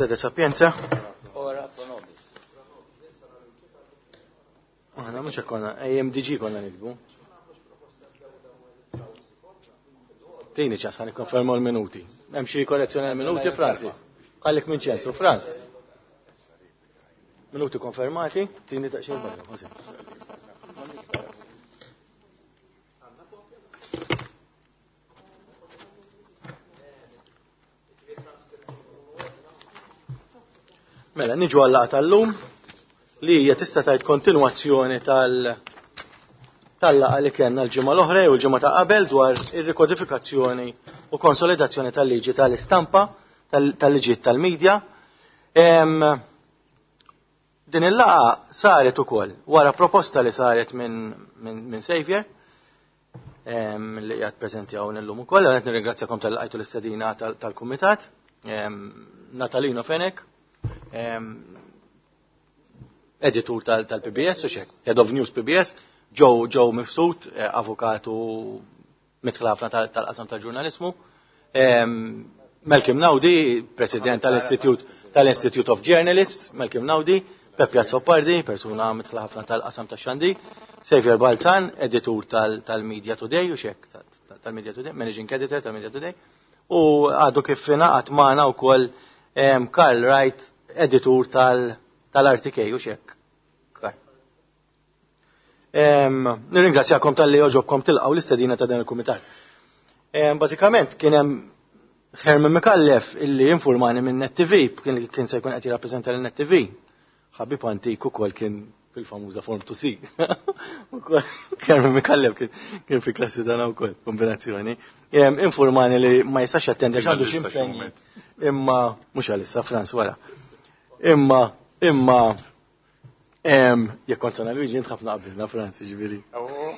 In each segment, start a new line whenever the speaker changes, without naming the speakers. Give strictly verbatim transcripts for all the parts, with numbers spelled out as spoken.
Sede Sapienza.
Ora pro nobis.
Aħna mhux hekk konna A M D G konna nikbu. Tini ċans ħa nikkonfermaw l-minuti. Hemm xi korrezzjoni għall-minuti, Francis? Għalik minn ċensu, Franz. Minuti konfermati, tini daqsxejn barra, Jose. Mela, niġu għal-laqgħa tal-lum li hija tista' tgħid kontinwazzjoni tal-, tal-laqgħa li kellna l-ġimgħa l-oħra jew il-ġimgħa ta' qabel dwar ir-rikodifikazzjoni u konsolidazzjoni tal-liġi tal-istampa, tal-, tal-liġijiet tal-medja. Em, din il-laqgħa saret ukoll wara proposta li saret minn, minn, minn Xavier, em, li qiegħed preżenti hawn illum ukoll. Qed nirringrazzjakom tal-laqgħajtu l-istedina tal-, tal-kumitat. Em, Natalino Fenech, em, editur tal-, tal-P B S u xek, Head of News P B S, Joe, Joe Mifsud, eh, avukatu mitħlafna tal-, tal-qasam tal-ġurnalismu, em, Malcolm Naudi, president tal-Institute, tal-Institute of Journalists, Malcolm Naudi, Peppi Azzopardi, persuna mitħlafna tal-qasam tax-xandi, Xavier Balzan, editur tal-, tal-Media Today, u xek, tal-, tal-Media Today, managing editor tal-Media Today, u għadu kif ingħaqad magħna wkoll, em, Karl Wright, editur tal-, tal-R T K, u xek. Em, nirringrazzjakom tal-li oġobkom tilqgħu l-istedina ta' dan il-kumitat. Em, bażikament kien hemm Herman Micallef illi informani minn Net T V, kien, kien se jkun qed jirrappreżenta lil Net T V. Ħabib antik ukoll kien fil-famuża Form to C. Ukoll Herman Micallef kien, kien fi klassi tagħna wkoll, kombinazzjoni. Em, informani li ma jistax jattendi għax għandu xi
Għalissa xi
impenji.
moment.
Imma mhux għalissa Franz wara. Imma, imma em, jekk kont San Luigi int ħafna qabilna Franz, jiġifieri.
Oh.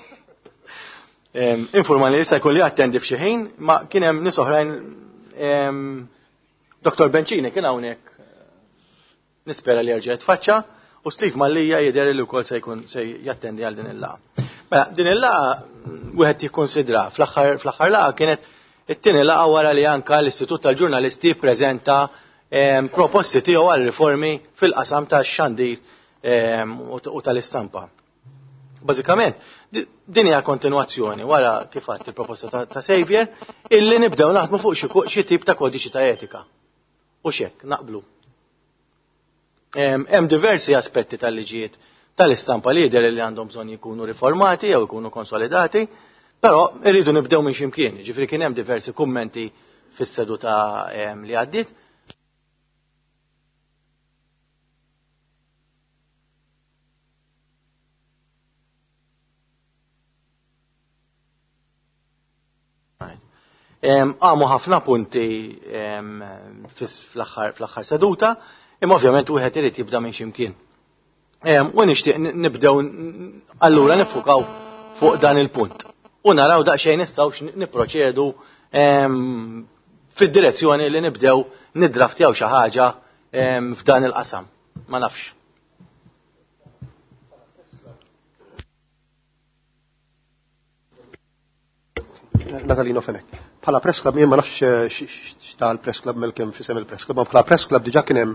Em, informani li jista' jkolli attendi f'xi ħin, ma kien hemm nies oħrajn, em, Doktor Bencini kien hawnhekk, nispera li jerġa' jitfaċċa, u Steve Mallia jidher li wkoll se jkun se jattendi għal din il-laqgħa. Mela, din il-laqgħa wieħed jikkonsidra fl-aħħar, fl-aħħar laqgħa kienet it-tieni laqgħa wara li anka l-Istitut tal-Ġurnalisti ppreżenta, em, proposti tiegħu għal riformi fil-qasam tax-xandir, em, u t-, u tal-istampa. Bażikament, di-, din hija kontinwazzjoni wara kif għadt il-proposta ta', ta' Xavier illi nibdew naħdmu fuq xi ko-, xi tip ta' kodiċi ta' etika. U x'hekk naqblu. Em, hemm diversi aspetti tal-liġijiet tal-istampa li jidher li għandhom bżonn jkunu riformati jew ikunu konsolidati, però irridu nibdew minn x'imkien. Ġifieri kien hemm diversi kummenti fis-seduta, em, li għaddiet. Em, għamu ħafna punti, em, fis-, fl-aħħar, fl-aħħar seduta, imma ovvjament wieħed irid jibda minn x'imkien. Em, u nixtieq n-, nibdew n-, allura nifukaw fuq dan il-punt. U naraw daqsxejn nistgħux n-, nipproċedu, em, fid-direzzjoni li nibdew niddraftjaw xi ħaġa, em, f'dan il-qasam. Ma nafx.
Natalino Fenech. Bħala Press Club, jien ma nafx, eh, x-, x-, x'ta l-Press Club Malcolm f'isem il-Press Club, ma bħala Press Club diġà kien hemm,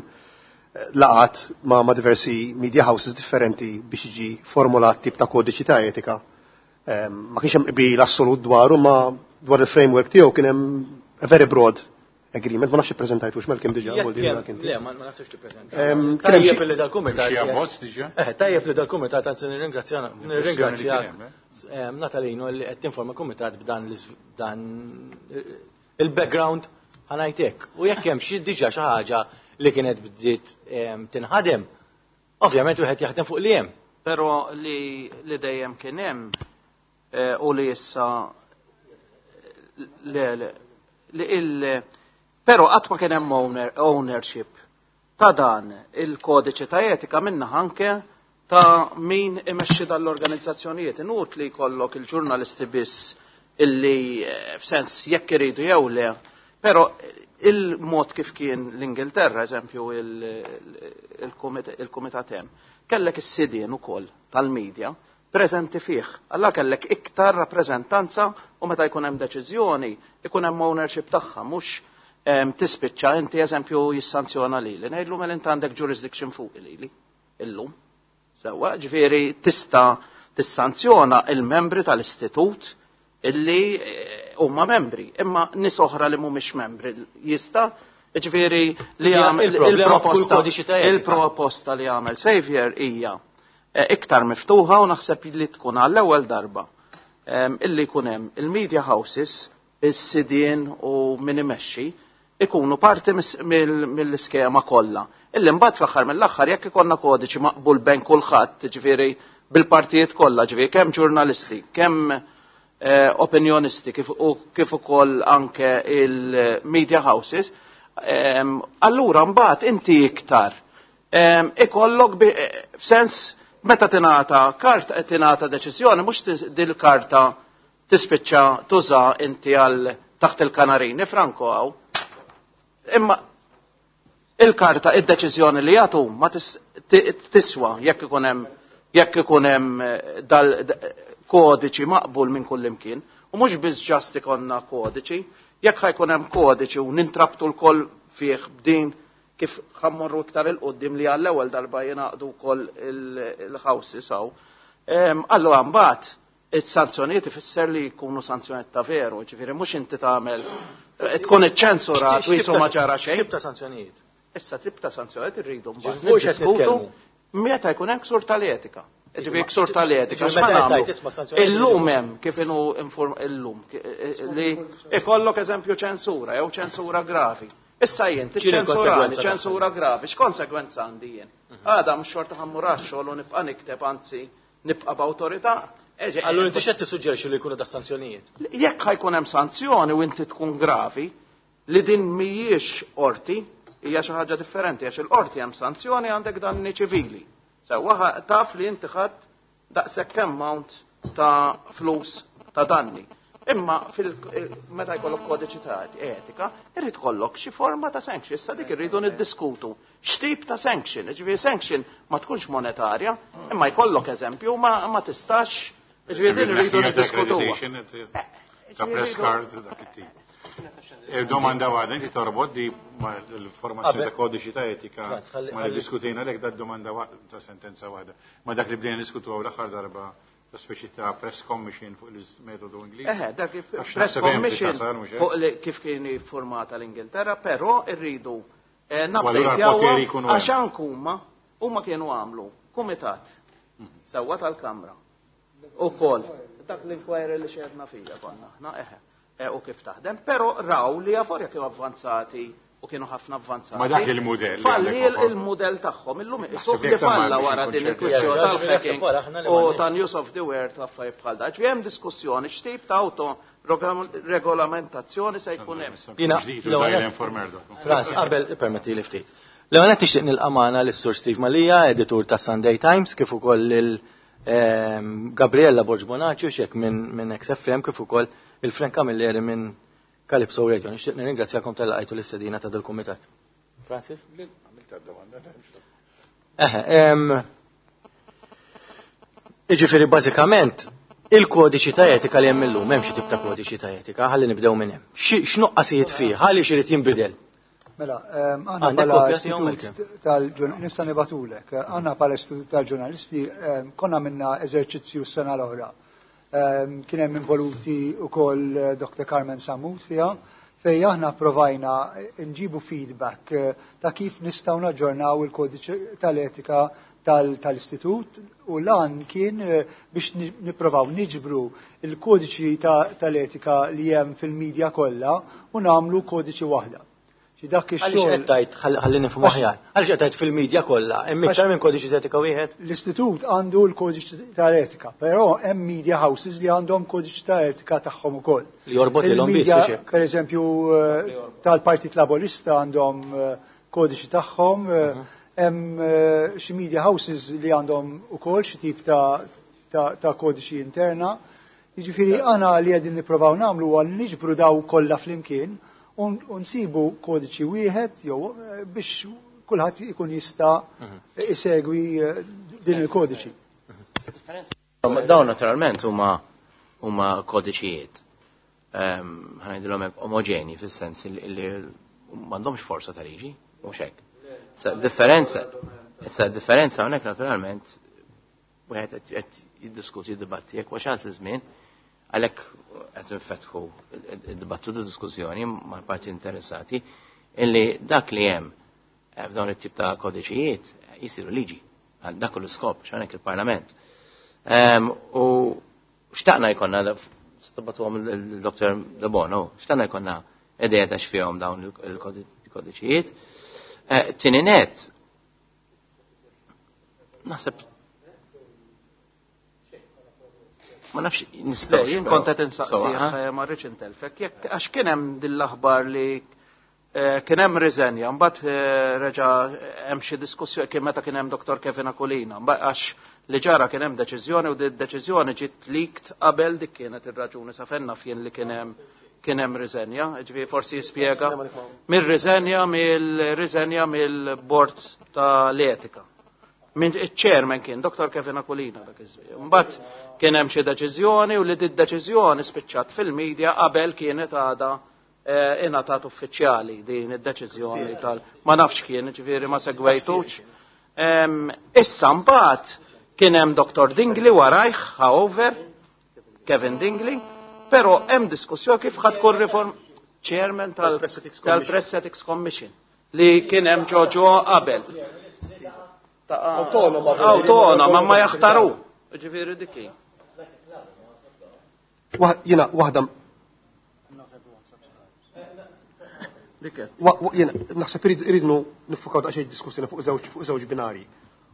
eh, laqat ma, ma' diversi media houses differenti biex jiġi formulat tip ta' kodiċi ta' etika. Ehm, ma kienx hemm qbil assolut dwaru, ma dwar il-framework tiegħu kien hemm a very broad agreement, ma nafx ippreżentajtux Malcolm diġà,
Jekk
vuol dire
hemm,
dak inti.
Le, ma, ma nafx tippreżenta.
Ehm, kien hemm
Tajjeb
xi
li dal-kumitat
Xi
jekk-
abbozz diġà?
Eh, tajjeb li dal-kumitat, anzi nirringrazzja, nirringrazzja
Kien hemm, eh?
ehm, Natalino li qed tinforma kumitat b'dan l-iż-, dan il-background ħanajtek. U jekk hemm xi diġà xi ħaġa li kienet bdiet, ehm, tinħadem, ovvjament wieħed jaħdem fuq li hemm.
Però li, li dejjem kien hemm, eh, u li issa le, le, li il, però qatt ma kien hemm owner, ownership ta' dan il-kodiċi ta' etika minna anke ta' min imexxi dal-organizzazzjonijiet. Inut li jkollok il-ġurnalisti biss illi, eh, f'sens jekk iridu jew le, però il-mod kif kien l-Ingilterra, eżempju, il-, il-komit-, il-komitat hemm, kellek is-sidien ukoll tal-medja preżenti fih. Alla kellek iktar rappreżentanza u meta jkun hemm deċiżjoni, ikun hemm ownership tagħha, mhux Tispiċċa inti eżempju jissanzjona lili. Ngħidlu mela inti għandek jurisdiction fuq lili illum. Sewwa, ġifieri tista' tissanzjona il-membri tal-istitut illi huma membri, imma nies oħra li mhumiex membri jista' ġifieri li għamel il-proposta il-proposta li għamel Xavier hija iktar miftuħa u naħseb li tkun għall-ewwel darba illi jkun hemm il-media houses, is-sidien u min imexxi ikunu parti mill-iskema kollha. Illi mbagħad fl-aħħar mill-aħħar jekk ikollna kodiċi maqbul bejn kulħadd, ġifieri bil-partijiet kollha, ġifieri kemm ġurnalisti, kemm eh, opinjonisti kif, u kif ukoll anke il-media houses, ehm, allura mbagħad inti iktar ehm, ikollok f'sens meta tingħata karta tingħata deċiżjoni mhux dil-karta tispiċċa tuża inti għal taħt il-kanarini franko hawn. Imma il-karta, id-deċiżjoni li jagħtu ma tiswa jekk ikun hemm jekk ikun hemm dal kodiċi maqbul minn kull imkien. U mhux biss ġast ikonna kodiċi, jekk ħajkun hemm kodiċi u nintrabtu l-koll fih b'din kif ħammorru iktar il-qoddim li għall-ewwel darba jingħaqdu wkoll il-houses hawn. Allura mbagħad is-sanzjonijiet ifisser li jkunu sanzjonijiet ta' veru, ġifieri mhux inti tagħmel tkun iċċensurat u jisu ma ġara xejn.
Tip ta' sanzjonijiet.
Issa tip ta' sanzjonijiet irridu mbagħad meta jkun hemm ksur tal-etika. Ġifieri ksur tal-etika. Illum hemm kif inhu inform illum li ikollok eżempju ċensura jew ċensura gravi. Issa jien tiċċensurani ċensura gravi, x'konsegwenza għandi jien? Għada mhux xorta ħammur għax-xogħol u nibqa' nikteb anzi nibqa' b'awtorità.
Allura inti x'qed tissuġġerixxi li jkunu da sanzjonijiet?
Jekk ħajkun hemm sanzjoni u inti tkun gravi, li din mhijiex qorti, hija xi ħaġa differenti għax il-qorti hemm sanzjoni għandek danni ċivili. Sewwa taf li inti ħadd daqshekk amount ta' flus ta' danni. Imma meta jkollok kodiċi ta' etika, irrid kollok xi forma ta' sanction. Issa dik irridu niddiskutu. X'tip ta' sanction? Ġifieri sanction ma tkunx monetarja, imma jkollok eżempju ma, ma tistax. Ġifieri din irridu niddiskutuha.
Ta' press card dak it-tip. Domanda waħda, inti torbot di l-formazzjoni ta' kodiċi ta' etika ma li diskutejna lek da' domanda ta' sentenza waħda. Ma dak li bdejna niskutu għaw l-aħħar darba ta' speċi ta' press commission fuq il-metodu Ingliż.
Eħe, dak press commission fuq kif kien formata l-Ingilterra, però irridu nabdejtjaw għax anke huma huma kienu għamlu kumitat sewwa tal-Kamra ukoll dak l-inquiry li xedna fija konna aħna eħe u kif taħdem, però raw li avorja kienu avvanzati u kienu ħafna avvanzati.
Ma dak il-mudell.
Falli il-mudell tagħhom illum isuq li falla wara din il-kwistjoni tal-hacking u ta' News of the World ta' affarijiet bħal dak. Ġifieri hemm diskussjoni x'tip ta' auto regolamentazzjoni se jkun hemm.
Jiena Frans, qabel permetti li ftit. L-ewwel qed nixtieq nilqa' magħna lis-Sur Steve Mallia, editur ta' Sunday Times, kif ukoll lil Gabriella Borg Bonacci xek minn X F M, kif ukoll il-Frank Camilleri minn Calypso Radio. Nixtieq nirringrazzjakom tal-laqajtu l-istedina ta' dal-kumitat. Francis? Eħe, jiġifieri bażikament il-kodiċi ta' etika li hemm illum, hemm xi tip ta' kodiċi ta' etika, ħalli nibdew minn hemm. X'nuqqasijiet fih, ħalli x'irid jinbidel.
Mela, aħna bħala istitut tal-ġurnalisti, nista' nibatulek, aħna bħala istitut tal-ġurnalisti konna minna eżerċizzju s-sena l-oħra. Kien hemm involuti wkoll Doktor Carmen Samut fiha, fejn aħna provajna nġibu feedback ta' kif nistgħu naġġornaw il-kodiċi tal-etika tal-istitut, u lan kien biex nipprovaw niġbru il-kodiċi tal-etika li hemm fil-medja kollha u nagħmlu kodiċi waħda. Dak
ix-xogħol. Għaliex qed tgħid, ħalli nifhmu aħjar. Għaliex qed tgħid fil-medja kollha, hemm iktar minn kodiċi ta' etika wieħed?
L-istitut għandu l-kodiċi tal-etika, però hemm media houses li għandhom kodiċi ta' etika tagħhom ukoll.
Li jorbot lilhom biss.
Per eżempju, tal-Partit Laburista għandhom kodiċi tagħhom, hemm xi media houses li għandhom ukoll xi tip ta' kodiċi interna. Jiġifieri aħna li qegħdin nippruvaw nagħmlu huwa niġbru daw kollha flimkien u nsibu kodiċi wieħed jew biex kulħadd ikun jista' isegwi din il-kodiċi.
Dawn naturalment huma huma kodiċijiet. Ħa ngħidilhom hekk omoġeni fis-sens li m'għandhomx forza ta' liġi, mhux hekk. Issa differenza, issa differenza hawnhekk naturalment wieħed qed jiddiskuti jiddibatti jekk wasalt iż-żmien għalhekk qed nfetħu id-dibattitu diskussjoni mal-parti interessati illi dak li hemm f'dawn it-tip ta' kodiċijiet jisiru liġi għal dak l-iskop x'hawnhekk il-Parlament. U xtaqna jkollna għom il-Doktor Debono, xtaqna jkollna idea ta' x'fihom dawn il-kodiċijiet. Tieni net, naħseb ma nafx nistgħu.
Jien kont qed insaqsih ma rridx intelfek, jekk għax kien hemm din l-aħbar li kien hemm riżenja, mbagħad reġa' hemm xi diskussjoni kien meta kien hemm Doktor Kevin Aquilina, għax li ġara kien hemm deċiżjoni u di deċiżjoni ġiet leaked qabel dik kienet ir-raġuni sa fejn naf jien li kien hemm kien hemm riżenja, ġifieri forsi jispjega mir-riżenja mill-riżenja mill-bord tal-etika. Min iċ-chairman kien Doktor Kevin Aquilina dak iż-żmien. Mbagħad kien hemm xi deċiżjoni u li di deċiżjoni spiċċat fil-medja qabel kienet għadha ingħatat uffiċjali din id-deċiżjoni tal ma nafx kien, ġifieri ma segwejtux. Issa mbagħad kien hemm Doktor Dingli warajh, however, Kevin Dingli, però hemm diskussjoni kif ħad tkun reform chairman tal-Press Ethics Commission li kien hemm ġoġo qabel.
Autonoma,
autonoma, ma jaħtaru. Ġifieri dik hi.
Jiena waħda jiena naħseb iridnu nifukaw daqsxejn diskussjoni fuq żewġ fuq żewġ binari.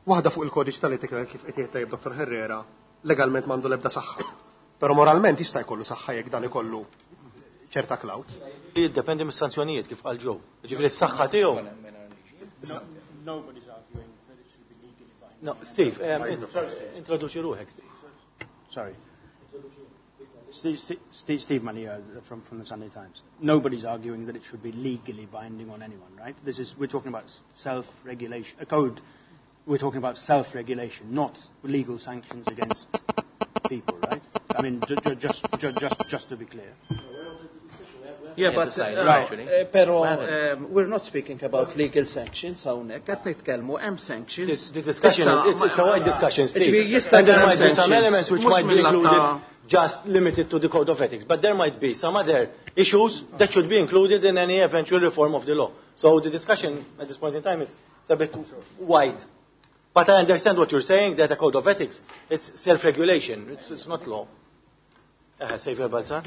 Waħda fuq il-kodiċi tal-etika kif qed jgħid tajjeb Doktor Herrera, legalment m'għandu l-ebda saħħa. Però moralment jista' jkollu saħħa jekk dan ikollu ċerta clout.
Jiddependi mis-sanzjonijiet kif qal Joe. Ġifieri s-saħħa tiegħu. No, Steve, um, introduċi ruħek, Steve.
Sorry. Steve, Steve, Steve Money uh, from, from the Sunday Times. Nobody's arguing that it should be legally binding on anyone, right? This is, we're talking about self-regulation, a code. We're talking about self-regulation, not legal sanctions against people, right? I mean, ju- ju- just, ju- just, just to be clear.
Yeah, but
decided,
uh,
actually.
uh, pero um, we're not speaking about legal sanctions hawnhekk, qed nitkellmu hemm sanctions.
The discussion is, it's, it's a wide discussion, Steve.
Jista'
And there
jkun
might be some
sanctions.
elements which
Mhux
might be
mill-att
included,
ta'
just limited to the code of ethics. But there might be some other issues that should be included in any eventual reform of the law. So the discussion at this point in time is a bit wide. But I understand what you're saying, that a code of ethics, it's self-regulation, it's, it's not law. Uh, Saviour Balzan?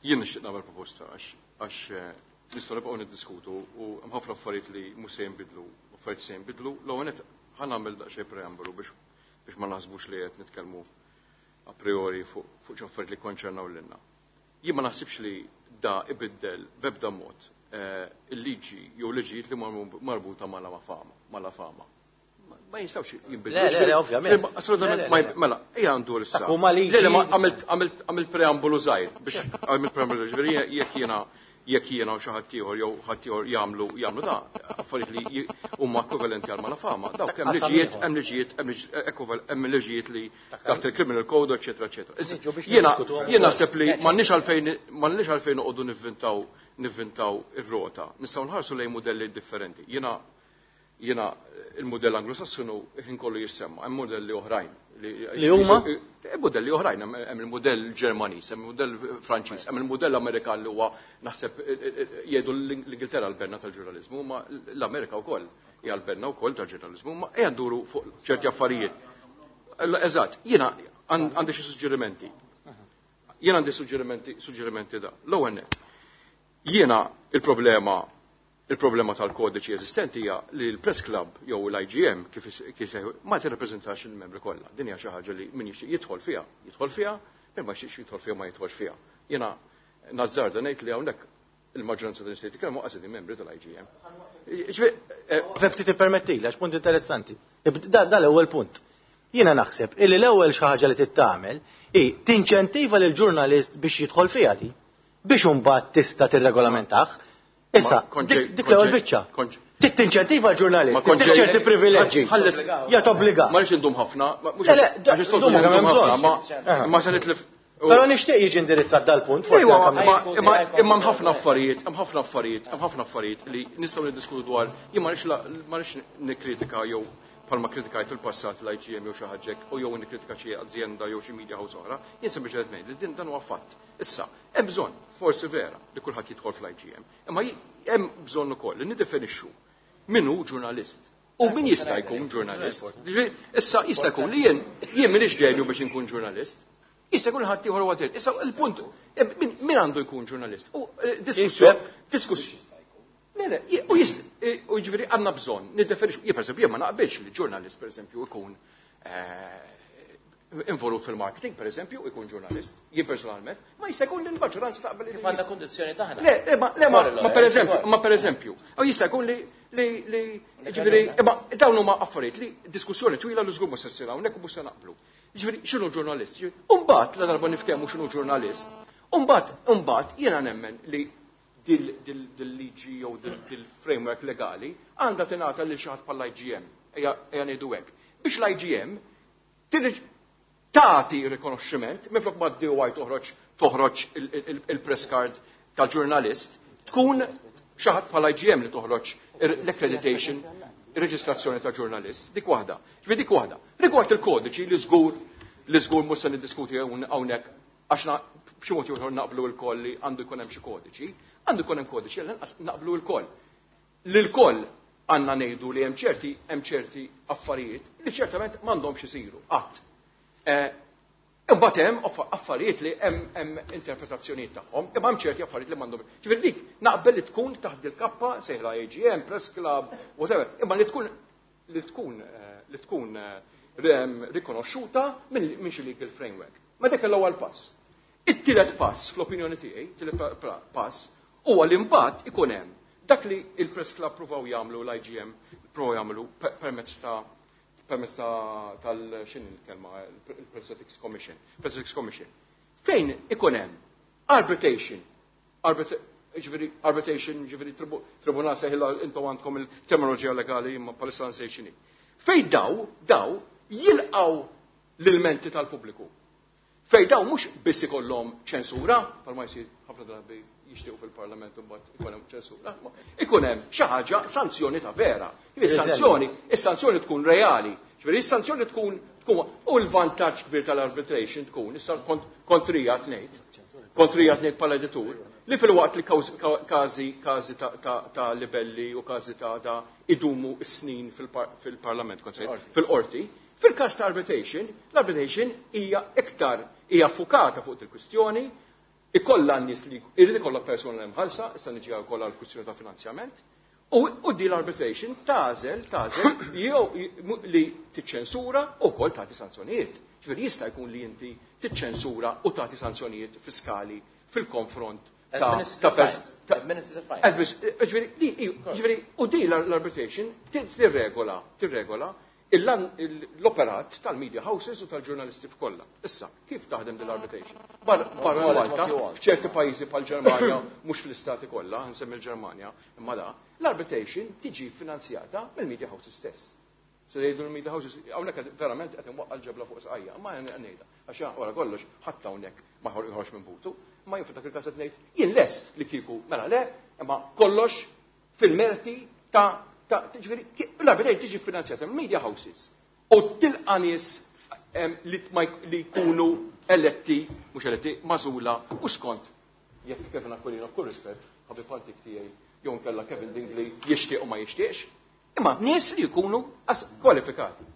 Jien nixtieq nagħmel proposta għax għax nistgħu nibqgħu niddiskutu u hemm ħafna affarijiet li mhux se jinbidlu, affarijiet se jinbidlu. L-ewwel nett ħa nagħmel daqsxejn preambolu biex biex ma naħsbux li qed nitkellmu a priori fuq fuq xi affarijiet li konċernaw lilna. Jien ma naħsibx li da ibiddel b'ebda mod il-liġi jew liġijiet li marbuta mal-fama, mal-fama. Ma jistgħux jinbidlu.
Le, le, le, ovvjament.
Assolutament,
Le, le, le.
mela, ejja għandu l-issa.
Dak huma liġi-
Le, le, ma għamilt għamilt għamilt preambolu żgħir biex għamilt preambolu ġifieri jekk jiena jekk jiena u xi ħadd ieħor jew ħadd ieħor jagħmlu jagħmlu da affarijiet li huma ekwivalenti għal malafama. Dawk hemm
Qasam
liġijiet,
ieħor.
hemm liġijiet, hemm hemm liġijiet li taħt il-criminal code, eċetera, eċetera.
Niġu biex
Jiena
niddiskutuhom
jiena
ukoll.
naħseb li m'għandniex għalfejn m'għandniex għalfejn noqogħdu nivvintaw nivvintaw ir-rota. Nistgħu nħarsu lejn modelli differenti. Jiena jiena il-modell anglosassonu ħin kollu jissemma, hemm modelli oħrajn.
Li huma?
Hemm modelli oħrajn, hemm il-modell Ġermaniż, hemm il-modell Franċiż, hemm il-modell Amerikan li huwa naħseb jgħidu l-Ingilterra l-benna tal-ġurnaliżmu, ma l-Amerika wkoll hija l-benna wkoll tal-ġurnaliżmu, ma ejja nduru fuq ċerti affarijiet. Eżatt, jiena għandi xi suġġerimenti. Jiena għandi suġġerimenti, suġġerimenti da. L-ewwel nett. Jiena il-problema il-problema tal-kodiċi eżistenti hija li l-Press Club jew l-I G M kif kif ma tirrappreżentax il-membri kollha. Din hija xi ħaġa li min jixtieq jidħol fiha, jidħol fiha, min ma jixtieqx jidħol fiha ma jidħolx fiha. Jiena nazzarda ngħid li hawnhekk il-maġġoranza ta' nies li jitkellmu qas membri tal-I G M.
Ftit tippermetti, għax punt interessanti. Da da l-ewwel punt. Jiena naħseb illi l-ewwel xi ħaġa li tittamel hi tinċentiva lil ġurnalist biex jidħol fiha di biex imbagħad tista' tirregolamentah. Issa, dik l-ewwel biċċa. Tinċentiva l-ġurnalist, ċerti privileġġi. Ja tobbliga.
Ma rridx indum ħafna,
Le, le,
għax is-soltu
ndum kemm
indum
hemm
ħafna,
bżonn.
ma ma se nitlef
Però nixtieq jiġi indirizzat dal-punt, forsi
imma hemm ħafna affarijiet, hemm ħafna affarijiet, hemm ħafna affarijiet li nistgħu niddiskutu dwar. Jien ma rridx nikkritika jew bħalma kritikajt fil-passat l-I G M jew xi ħaġa hekk, u jew nikkritika xi azienda jew xi media house oħra, jien sempliċement ngħid li din dan huwa fatt. Issa, hemm bżonn, forsi vera, li kulħadd jidħol fl-I G M, imma hemm bżonn ukoll li niddefinixxu min hu ġurnalist. U min jista' jkun ġurnalist? Issa jista' jkun li jien jien m'iniex ġenju biex inkun ġurnalist. Jista' jkun ħadd ieħor huwa ġurnalist. Issa il-punt min għandu jkun ġurnalist? U diskussjoni, diskussjoni. Le, le, u jist, u jiġifieri għandna bżonn niddefinixxu. Jien pereżempju jien ma naqbilx li ġurnalist pereżempju ikun involut fil-marketing, pereżempju, ikun ġurnalist, jien personalment, ma jista' jkun li l-maġġoranza taqbel li
Kif għandna kundizzjoni taħna.
Le, le, ma, le, ma, ma pereżempju, ma pereżempju, u jista' jkun li, li, li, jiġifieri, imma dawn huma affarijiet li diskussjoni twila li żgur mhux se ssir hawnhekk u mhux se naqblu. Jiġifieri x'inhu ġurnalist? U mbagħad la darba niftehmu x'inhu ġurnalist, u mbagħad, u mbagħad jiena nemmen li dil-liġi jew dil-framework legali għandha tingħata lil xi ħadd bħall-I G M, ejja ngħidu hekk. Biex l-I G M tagħti rikonoxximent, minflok ma d-D O I toħroġ, toħroġ il-press card tal-ġurnalist, tkun xi ħadd bħall-I G M li toħroġ l-accreditation, ir-reġistrazzjoni ta' ġurnalist. Dik waħda. Ġifieri dik waħda. Rigward il-kodiċi li żgur li żgur mhux se niddiskuti hawnhekk għax b'xi mod ieħor naqblu l-koll li għandu jkun hemm xi kodiċi, għandu jkun hemm kodiċi għal inqas naqblu l-koll. Lil-koll għandna ngħidu li hemm ċerti, hemm ċerti affarijiet li ċertament m'għandhomx isiru qatt. Eh, imbagħad hemm affarijiet li hemm, hemm interpretazzjonijiet tagħhom, imma hemm ċerti affarijiet li m'għandhom. Ġifieri dik naqbel li tkun taħt il-kappa sejħla A G M, Press Club, whatever, imma li tkun li tkun, eh, li tkun, eh, rikonoxxuta minn, minn xi legal framework. Ma dak l-ewwel pass. It-tielet pass, fl-opinjoni tiegħi, it-tielet pa-, pa-, pass, huwa li mbagħad ikun hemm dak li il-Press Club provaw jagħmlu, l-I G M provaw jagħmlu pe-, permezz ta' permezz ta' tal x'inhi l-kelma, il-Press Ethics Commission, Press Ethics Commission. Fejn ikun hemm arbitration, arbit-, ġifieri arbitration, ġifieri tribu-, tribunal seħilla intom għandkom il-terminoloġija legali imma bħalissa nsejt x'inhi. Fejn daw, daw jilqgħu l-ilmenti tal-pubbliku. Fejn daw mhux biss ikollhom ċensura, bħalma jsir ħafna drabi jixtiequ fil-Parlament u mbagħad ikun hemm ċensura, ma ikun hemm xi ħaġa sanzjoni ta' vera. Ġifieri is-sanzjoni, is-sanzjoni tkun reali. Ġifieri is-sanzjoni tkun, tkun u l-vantaġġ kbir tal-arbitration tkun issa kont-, kontrija tnejn, kontrija tnejn bħala editur, li fil-waqt li kawż-, ka-, każi, każi ta', ta', ta' libelli u każi ta', ta' idumu s-snin fil-par-, fil-Parlament, kont se ngħid, fil-qorti, fil-każ ta' arbitration, l-arbitration hija iktar hija fukata fuq il-kwistjoni, ikollha n-nies li jrid ikollha persuna li mħallsa, issa niġi wkoll għall-kwistjoni ta' finanzjament, u, u di l-arbitration tagħżel, tagħżel jew li tiċċensura u wkoll tagħti sanzjonijiet. Ġifieri jista' jkun li inti tiċċensura u tagħti sanzjonijiet fiskali fil-konfront ta'
Administrative
ta' pers-
fines.
ta'
Administrative fines.
Administ-, ġifieri, di, ġifieri, u di l-arbitration tirregola, tirregola l-operat tal-media houses u tal-ġurnalisti f'kollha. Issa, kif taħdem din l-arbitration? Bar-, barra
Well,
Malta,
what you want.
f'ċerti pajjiżi bħal-Ġermanja, mhux fl-istati kollha, nsemmi l-Ġermanja, imma da, l-arbitration tiġi finanzjata mill-media houses stess. Se jgħidu l-media houses, hawnhekk qed verament qed inwaqqa' l-ġebla fuq sqajja, ma jien ngħidha, għax wara kollox ħadd hawnhekk ma joħroġ minn butu, ma jien f'dak il-każ qed ngħid jien lest li kieku mela le, imma kollox fil-merti ta' ta' ġifieri, ki-, l-arbitration tiġi finanzjata mill-media houses u tilqa' nies, em, li ma jk-, li jkunu eletti, mhux eletti, magħżula u skont jekk Kevin Aquilina b'kull rispett, ħabib antik tiegħi jew nkella Kevin Dingli jixtieq u ma jixtieqx, imma nies li jkunu as-, kwalifikati.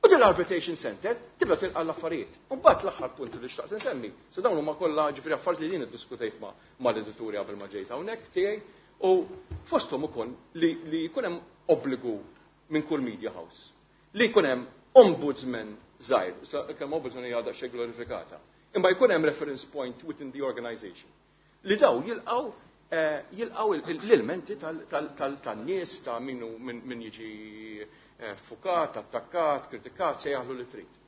U din l-arbitration center tibda tilqa' l-affarijiet. U mbagħad l-aħħar punt li xtaqt insemmi, se dawn huma kollha ġifieri affarijiet li din iddiskutejt ma', mal-edituri qabel ma ġejt hawnhekk tiegħi, u fosthom ukoll li, li jkun hemm obbligu minn kull media house li jkun hemm ombudsman żgħir, sa kemm ombudsman hija daqsxejn glorifikata, imma jkun hemm reference point within the organization li daw jilqgħu, eh, jilqgħu il-, il-, l-ilmenti tal-, tal-, tal-, tan-nies ta' min hu, min, min jiġi, eh, fukat, attakkat, kritikat, se jaħlu li trid.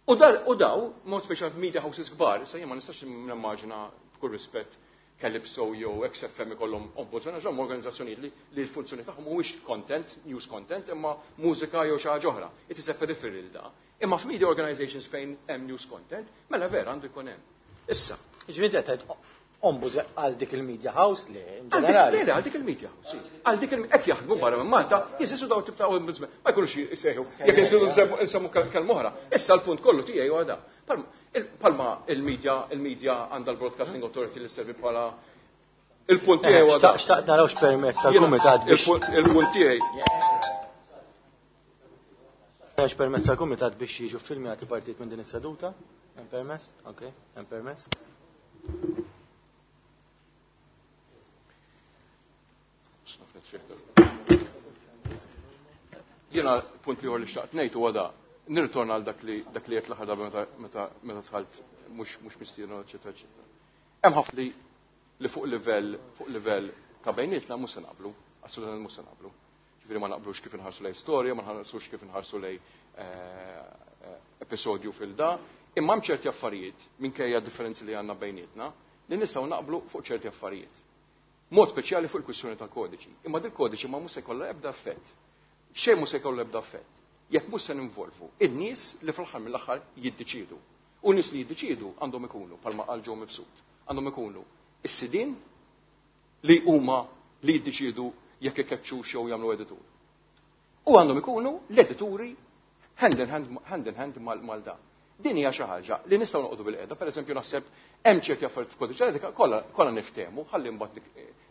U dal-, u daw, mod speċjal media houses kbar, issa jien ma nistax nimmaġina b'kull rispett Calypso jew X F M ikollhom ombudsman, għax huma organizzazzjonijiet li, li l-funzjoni tagħhom mhuwiex content, news content, imma mużika jew xi ħaġa oħra. It is a peripheral da. Imma f'media organizations fejn hemm news content, mela vera għandu jkun hemm. Issa.
Ġifieri qed ombuds għal dik il-media house li in ġenerali.
Le, għal dik il-media house, għal dik il hekk jaħdmu barra minn Malta, jeżistu dawn tip ta' ombudsman. Ma jkunux jsejħu. Jekk insiru nsemmu kelma oħra. Issa l-punt kollu tiegħi huwa da. Palma il-media, il-media għandha l-Broadcasting Authority li servi bħala il-punt tiegħi huwa da.
Xtaqt narawx permezz tal-kumitat biex.
Il-punt tiegħi.
Narawx permezz tal-kumitat biex jiġu filmjati partit minn din is-seduta. Hemm permess? Okej, hemm permess.
Jiena punt ieħor li xtaqt ngħid huwa da. Nirritorna għal dak li dak li qed l-aħħar darba meta meta meta dħalt mhux mhux mistieden eċetera eċetera. Hemm ħafna li li fuq livell fuq livell ta' bejnietna mhux se naqblu, assolutament mhux se naqblu. Ġifieri ma naqblux kif inħarsu lej storja, ma nħarsux kif inħarsu lej episodju fil-da, imma hemm ċerti affarijiet minkejja differenzi li għandna bejnietna li nistgħu naqblu fuq ċerti affarijiet. Mod speċjali fuq il-kwistjoni tal-kodiċi. Imma dil kodiċi ma mhux se jkollha ebda effett. Xejn mhux se jkollu ebda effett. Jekk mhux se ninvolvu in-nies li fl-aħħar mill-aħħar jiddeċiedu. U nies li jiddeċiedu għandhom ikunu bħalma qal Joe Mifsud. Għandhom ikunu is-sidien li huma li jiddeċiedu jekk ikeċċux jew jagħmlu editur. U għandhom ikunu l-edituri hand in hand, hand, in hand mal da. Din hija xi ħaġa li nistgħu noqogħdu bil-qiegħda, pereżempju naħseb hemm ċerti affarijiet f'kodiċi etika kollha kollha niftehmu, ħalli mbagħad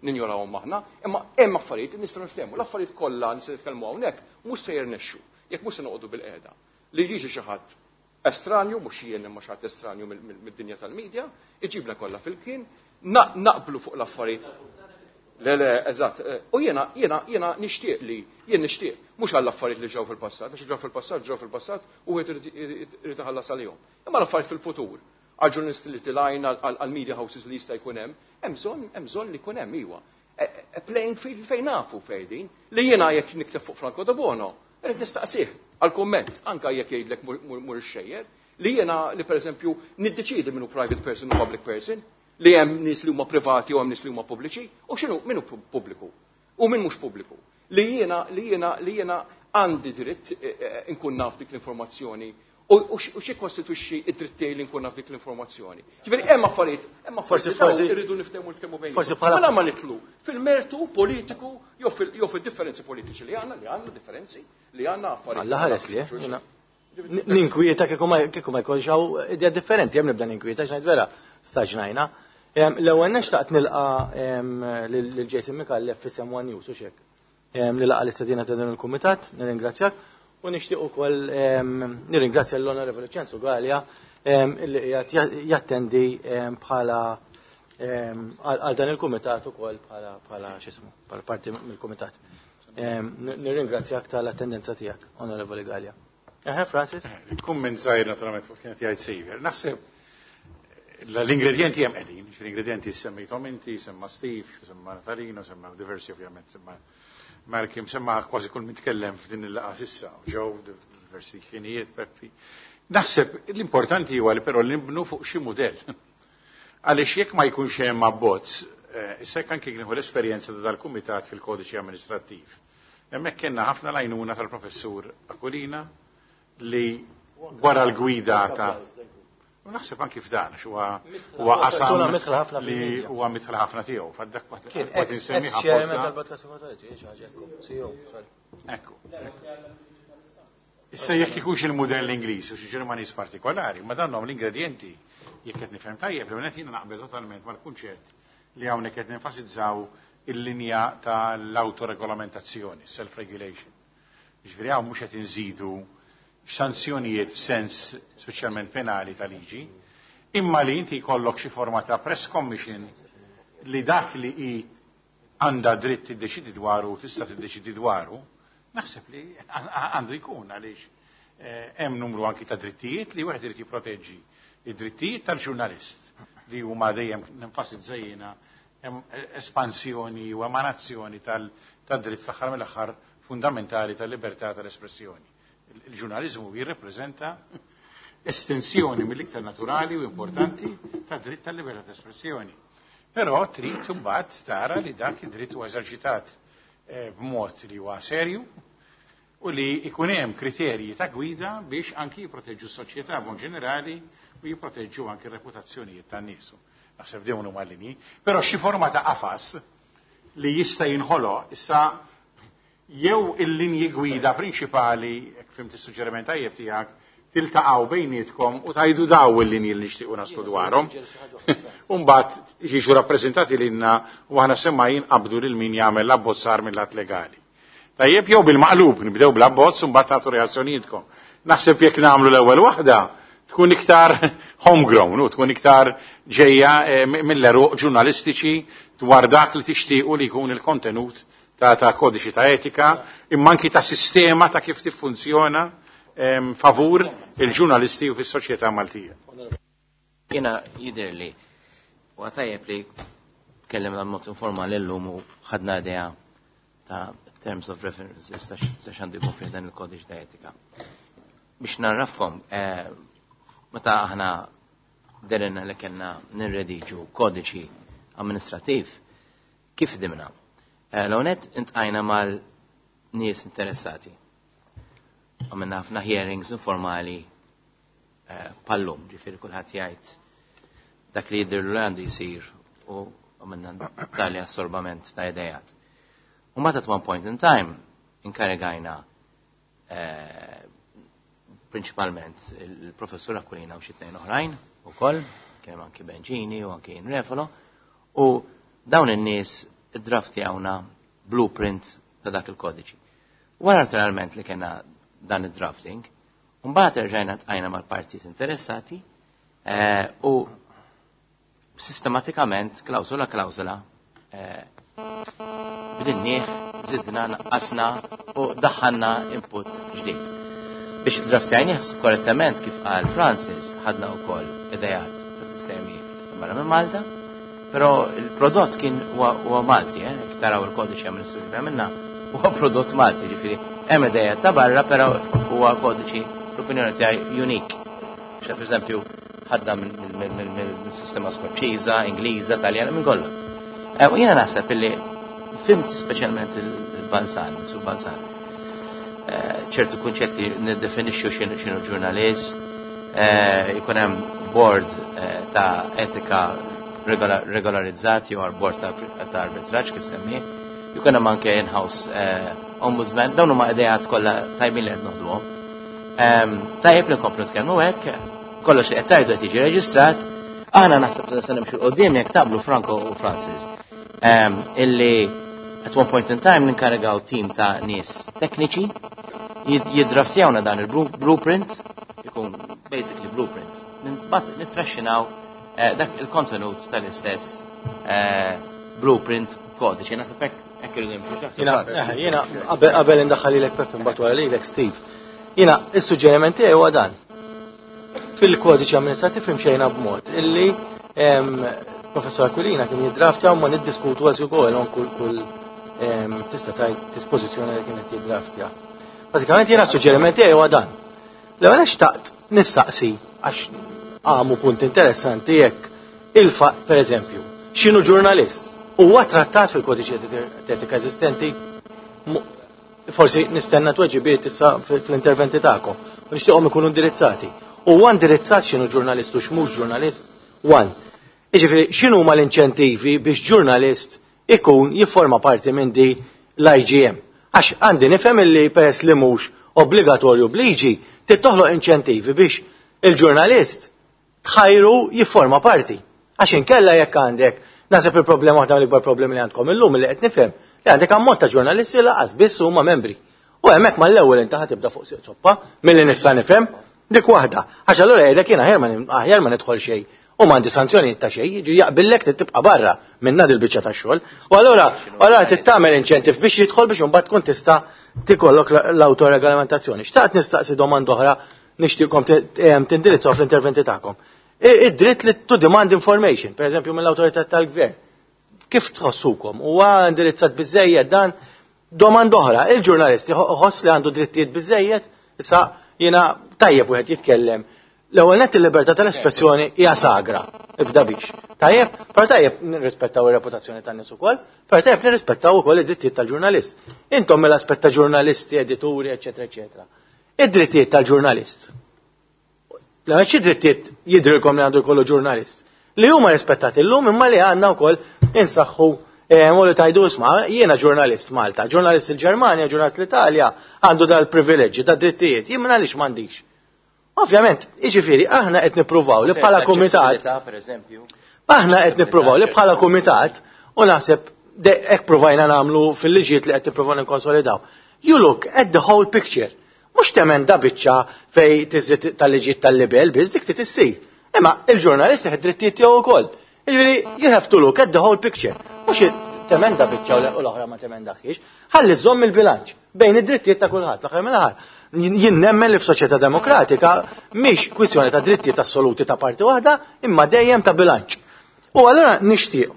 ninjorawhom aħna, imma hemm affarijiet li nistgħu niftehmu. L-affarijiet kollha li se nitkellmu hawnhekk mhux se jirnexxu jekk mhux se noqogħdu bil-qiegħda. Li jiġi xi ħadd estranju, mhux jien imma xi ħadd estranju mid-dinja tal-medja, iġibna kollha fil-kien, naqblu fuq l-affarijiet. Le, le, eżatt. U jiena, jiena, jiena nixtieq li, jien nixtieq, mhux għall affarijiet li ġew fil-passat, għax ġew fil-passat, ġew fil-passat u wieħed irid iħallas għalihom. Imma l-affarijiet fil-futur, għal ġurnalisti li tilajn, għal media houses li jista' jkun hemm, hemm bżonn, hemm bżonn li jkun hemm iwa. Playing field fejn nafu fejn li jiena jekk nikteb fuq Franco Debono, irid nistaqsih għal kumment, anke jekk jgħidlek mur ix-xejjer, li jiena li pereżempju niddeċiedi minnu private person u public person, li hemm nies li huma privati u hemm nies li huma pubbliċi, u x'inhu min hu pubbliku u min mhux pubbliku. Li jiena li jiena li jiena għandi dritt inkun naf dik l-informazzjoni u xi kostitwixxi id-dritt tiegħi li nkun naf dik l-informazzjoni. Ġifieri hemm affarijiet, hemm affarijiet
forsi
irridu niftehmu nitkellmu bejn. Mela ma nitlu fil-mertu politiku jew fil-differenzi politiċi li għandna, li għandna differenzi, li għandna affarijiet.
Alla ħares li, ninkwieta kieku ma jkollx hawn idea differenti, hemm nibda ninkwieta x'ngħid vera staġnajna. L-ewwel nextaqt nilqa' lil Jason Micallef fi One News u xek. Li laqa l-istedina ta' dan il-kumitat, nirringrazzjak u nixtieq ukoll nirringrazzja l-Onorevoli Ċensu Galea li qiegħed jattendi bħala għal dan il-kumitat ukoll bħala bħala x'ismu, bħala parti mill-kumitat. Nirringrazzjak tal-attendenza tiegħek, Onorevoli Galea. Eħe, Francis?
Kumment żgħir naturalment fuq kienet jgħid Xavier. Naħseb l-ingredienti hemm qegħdin, l-ingredienti semmejthom inti, semma Steve, semma Natalino, semma diversi ovvjament, semma Malcolm, semma kważi kull min tkellem f'din il-laqgħa s'issa, ġew diversi ħinijiet, Peppi. Naħseb l-importanti huwa li però nibnu fuq xi mudell. Għaliex jekk ma jkunx hemm abbozz, issa jekk anke nieħu l-esperjenza ta' dal-kumitat fil-kodiċi amministrattiv. Hemmhekk kellna ħafna l-għajnuna tal-professur Aquilina li wara l-gwida ta' u naħseb anki f'dan, huwa huwa qasam li huwa mitħla ħafna tiegħu, f'dak
kont insemmi ħafna. Tal-Broadcasting Authority, xi ħaġa ekku, C E O, sorry.
Ekku. Issa jekk ikunx il-mudell Ingliż u xi Ġermaniż partikolari, ma dan l-ingredienti jekk qed nifhem tajjeb, li qed jiena naqbel totalment mal-kunċett li hawnhekk qed nenfasizzaw il-linja tal-autoregolamentazzjoni, self-regulation. Ġifieri hawn mhux qed inżidu sanzjonijiet f'sens speċjalment penali ta' liġi, imma li inti jkollok xi forma ta' press commission li dak li hi għandha dritt tiddeċidi dwaru, tista' tiddeċidi dwaru, naħseb li għandu jkun għaliex hemm numru anki ta' drittijiet li wieħed irid jipproteġġi. Id-drittijiet tal-ġurnalist li huma dejjem nenfasizza jiena espansjoni u emanazzjoni tad-dritt fl-aħħar mill-aħħar fundamentali tal-libertà tal-espressjoni. Il-ġurnalizmu jirrepreżenta estensjoni mill-iktar naturali u importanti ta' dritt tal-libertà ta' espressjoni. Però trid imbagħad tara li dak id-dritt huwa eżerċitat b'mod li huwa serju u li ikun hemm kriterji ta' gwida biex anki jipproteġġu s-soċjetà b'mod ġenerali u jipproteġġu anki r-reputazzjonijiet tan-nies. Naħseb dawn huma linji, però xi forma ta' qafas li jista' jinħoloq issa jew il-linji gwida prinċipali, jekk fimt is-suġġeriment tajjeb tiegħek, tiltaqgħu bejnietkom u tajdu daw il-linji li nixtiequ naslu dwarhom. U mbagħad jiġu rappreżentati lilna u aħna semmai jinqabdu lil min jagħmel l-abbozzar mill-att legali. Tajjeb jew bil-maqlub, nibdew bl-abbozz u mbagħad tagħtu reazzjonijietkom. Naħseb jekk nagħmlu l-ewwel waħda tkun iktar homegrown u tkun iktar ġejja mill-eruq ġurnalistiċi dwar dak li tixtiequ li jkun il-kontenut ta' ta' kodiċi ta' etika, imma anki ta' sistema ta' kif tiffunzjona favur il-ġurnalisti u fis-soċjetà Maltija.
Jiena jidher li huwa tajjeb li tkellimna b'mod informali llum u ħadna idea ta' terms of references ta' x'għandu jkun fih dan il-kodiċi ta' etika. Biex narrafkom, meta aħna derenna li kellna nirrediġu kodiċi amministrativ, kif dimna? L-għonet intqajna mal-nies interessati. Għamilna ħafna hearings informali pallum, ġifieri kulħadd jgħid dak li jidher li għandu jsir u għamilna tali assorbament ta' idejat. U mbagħad at one point in time inkarigajna prinċipalment il-professur Aquilina u xi tnejn oħrajn ukoll, kien hemm anki Benġini u anki Refalo, u dawn in-nies iddraftjawna blueprint ta' dak il-kodiċi. Wara naturalment li kena dan id-drafting, mbagħad erġajna tqajna mal-partijiet interessati u sistematikament klawsola klawsola bidinnieh, zidna, naqqasna u daħħalna input ġdid. Biex draftjajnieh korrettament kif qal Francis, ħadna wkoll idejat ta' sistemi barra minn Malta, però il-prodott kien huwa Malti, eh, jekk taraw il-kodiċi amministrativ li għamilna, huwa prodott Malti, ġifieri hemm idejat ta' barra, però huwa kodiċi l-opinjoni tiegħi unik. Per eżempju, ħadna mill-sistema Skoċċiża, Ingliża, Taljana, minn kollha. U jiena naħseb illi fimt speċjalment il-Balzan, su Balzan. Ċertu kunċetti niddefinixxu x'inhu ġurnalist, jkun hemm board ta' etika regolarizzati jew board ta' arbitraġġ kif semmi, jkun hemm anke in-house ombudsman, dawn huma idejat kollha tajbin li qed noħduhom. Tajjeb li nkomplu nitkellmu hekk, kollox li qed tgħidu qed jiġi reġistrat, aħna naħseb li se nimxu l-qudiem jekk taqblu Franco u Francis. Illi at one point in time ninkarigaw team ta' nies tekniċi jiddraftjawna dan il-blueprint, ikun basically blueprint. Mbagħad nittraxxinaw dak il-kontenut tal-istess blueprint kodiċi. Naħseb hekk hekk irridu nimxu.
Jiena qabel indaħħal lilek Peppe mbagħad wara lilek Steve. Jiena is-suġġeriment tiegħi huwa dan. Fil-kodiċi amministrativ imxejna b'mod illi Professor Aquilina kien jiddraftja u ma niddiskutu as you go along kull kull tista' tgħid dispożizzjoni li kienet jiddraftja. Bażikament jiena s-suġġeriment tiegħi huwa dan. L-ewwel xtaqt nistaqsi għax għamu punt interessanti jekk il-fatt pereżempju x'inhu ġurnalist huwa trattat fil-kodiċi etika eżistenti. Forsi nistenna tweġibiet issa fl-interventi tagħkom u nixtieqhom ikunu indirizzati. Huwa indirizzat x'inhu ġurnalist u x'mhux ġurnalist? One. Jiġifieri x'inhu huma l-inċentivi biex ġurnalist ikun jifforma parti minn di l-I G M? Għax għandi nifhem illi peress li mhux obbligatorju bliġi trid toħloq inċentivi biex il-ġurnalist tħajru jifforma parti. Għax inkella jekk għandek, naħseb il-problema waħda mill-ikbar problemi li għandkom illum li qed nifhem li għandek ammont ta' ġurnalisti laqas biss huma membri. U hemmhekk mal-ewwel inti ħa tibda fuq siq soppa milli nista' nifhem dik waħda. Għax allura jgħidlek jien aħjar ma nidħol xejn u m'għandi sanzjonijiet ta' xejn, jiġi jaqbillek trid tibqa' barra minn nad il-biċċa tax-xogħol. U allura allura trid tagħmel inċentiv biex jidħol biex imbagħad tkun tista' tikollok l-awtoregolamentazzjoni. Xtaqt nistaqsi domanda oħra nixtieqkom tindirizzaw fl-interventi tagħkom. Id-dritt li to demand information, per eżempju mill-awtorità tal-gvern. Kif tħossukom? Huwa indirizzat biżejjed dan? Domanda oħra, il-ġurnalisti ħoss li għandu drittijiet biżejjed, issa jiena tajjeb wieħed jitkellem. L-ewwel nett il-libertà tal-espressjoni hija sagra, ibda biex. Tajjeb, però tajjeb nirrispettaw ir-reputazzjoni tan-nies ukoll, però tajjeb nirrispettaw ukoll id-drittijiet tal-ġurnalist. Intom mill-aspett ta' ġurnalisti, edituri, eċetera, eċetera. Id-drittijiet tal-ġurnalist. Xi drittijiet jidrilkom li għandu jkollu ġurnalist? Li huma rispettati llum imma li għandna wkoll insaħħu u li tajdu isma' jiena ġurnalist Malta, ġurnalist il-Ġermanja, ġurnalist l-Italja, għandu dal-privileġġi, da drittijiet, jien għaliex m'għandix. Ovvjament, jiġifieri aħna qed nippruvaw li bħala kumitat. Aħna qed nippruvaw li bħala kumitat u naħseb hekk provajna nagħmlu fil-liġijiet li qed nippruvaw nikkonsolidaw. You look at the whole picture. Mhux temenda biċċa fej tiżid tal-liġijiet tal-libel biss dik trid issir. Imma il-ġurnalist ħed drittijiet tiegħu wkoll. Jiġifieri you have to look at the whole picture. Mhux temenda biċċa u l-oħra ma temendaħiex. Ħalli żomm il-bilanċ bejn id-drittijiet ta' kulħadd. L-aħħar mill-aħħar. Jien nemmen li f'soċjetà demokratika mhix kwistjoni ta' drittijiet assoluti ta' parti waħda, imma dejjem ta' bilanċ. U allura nixtieq.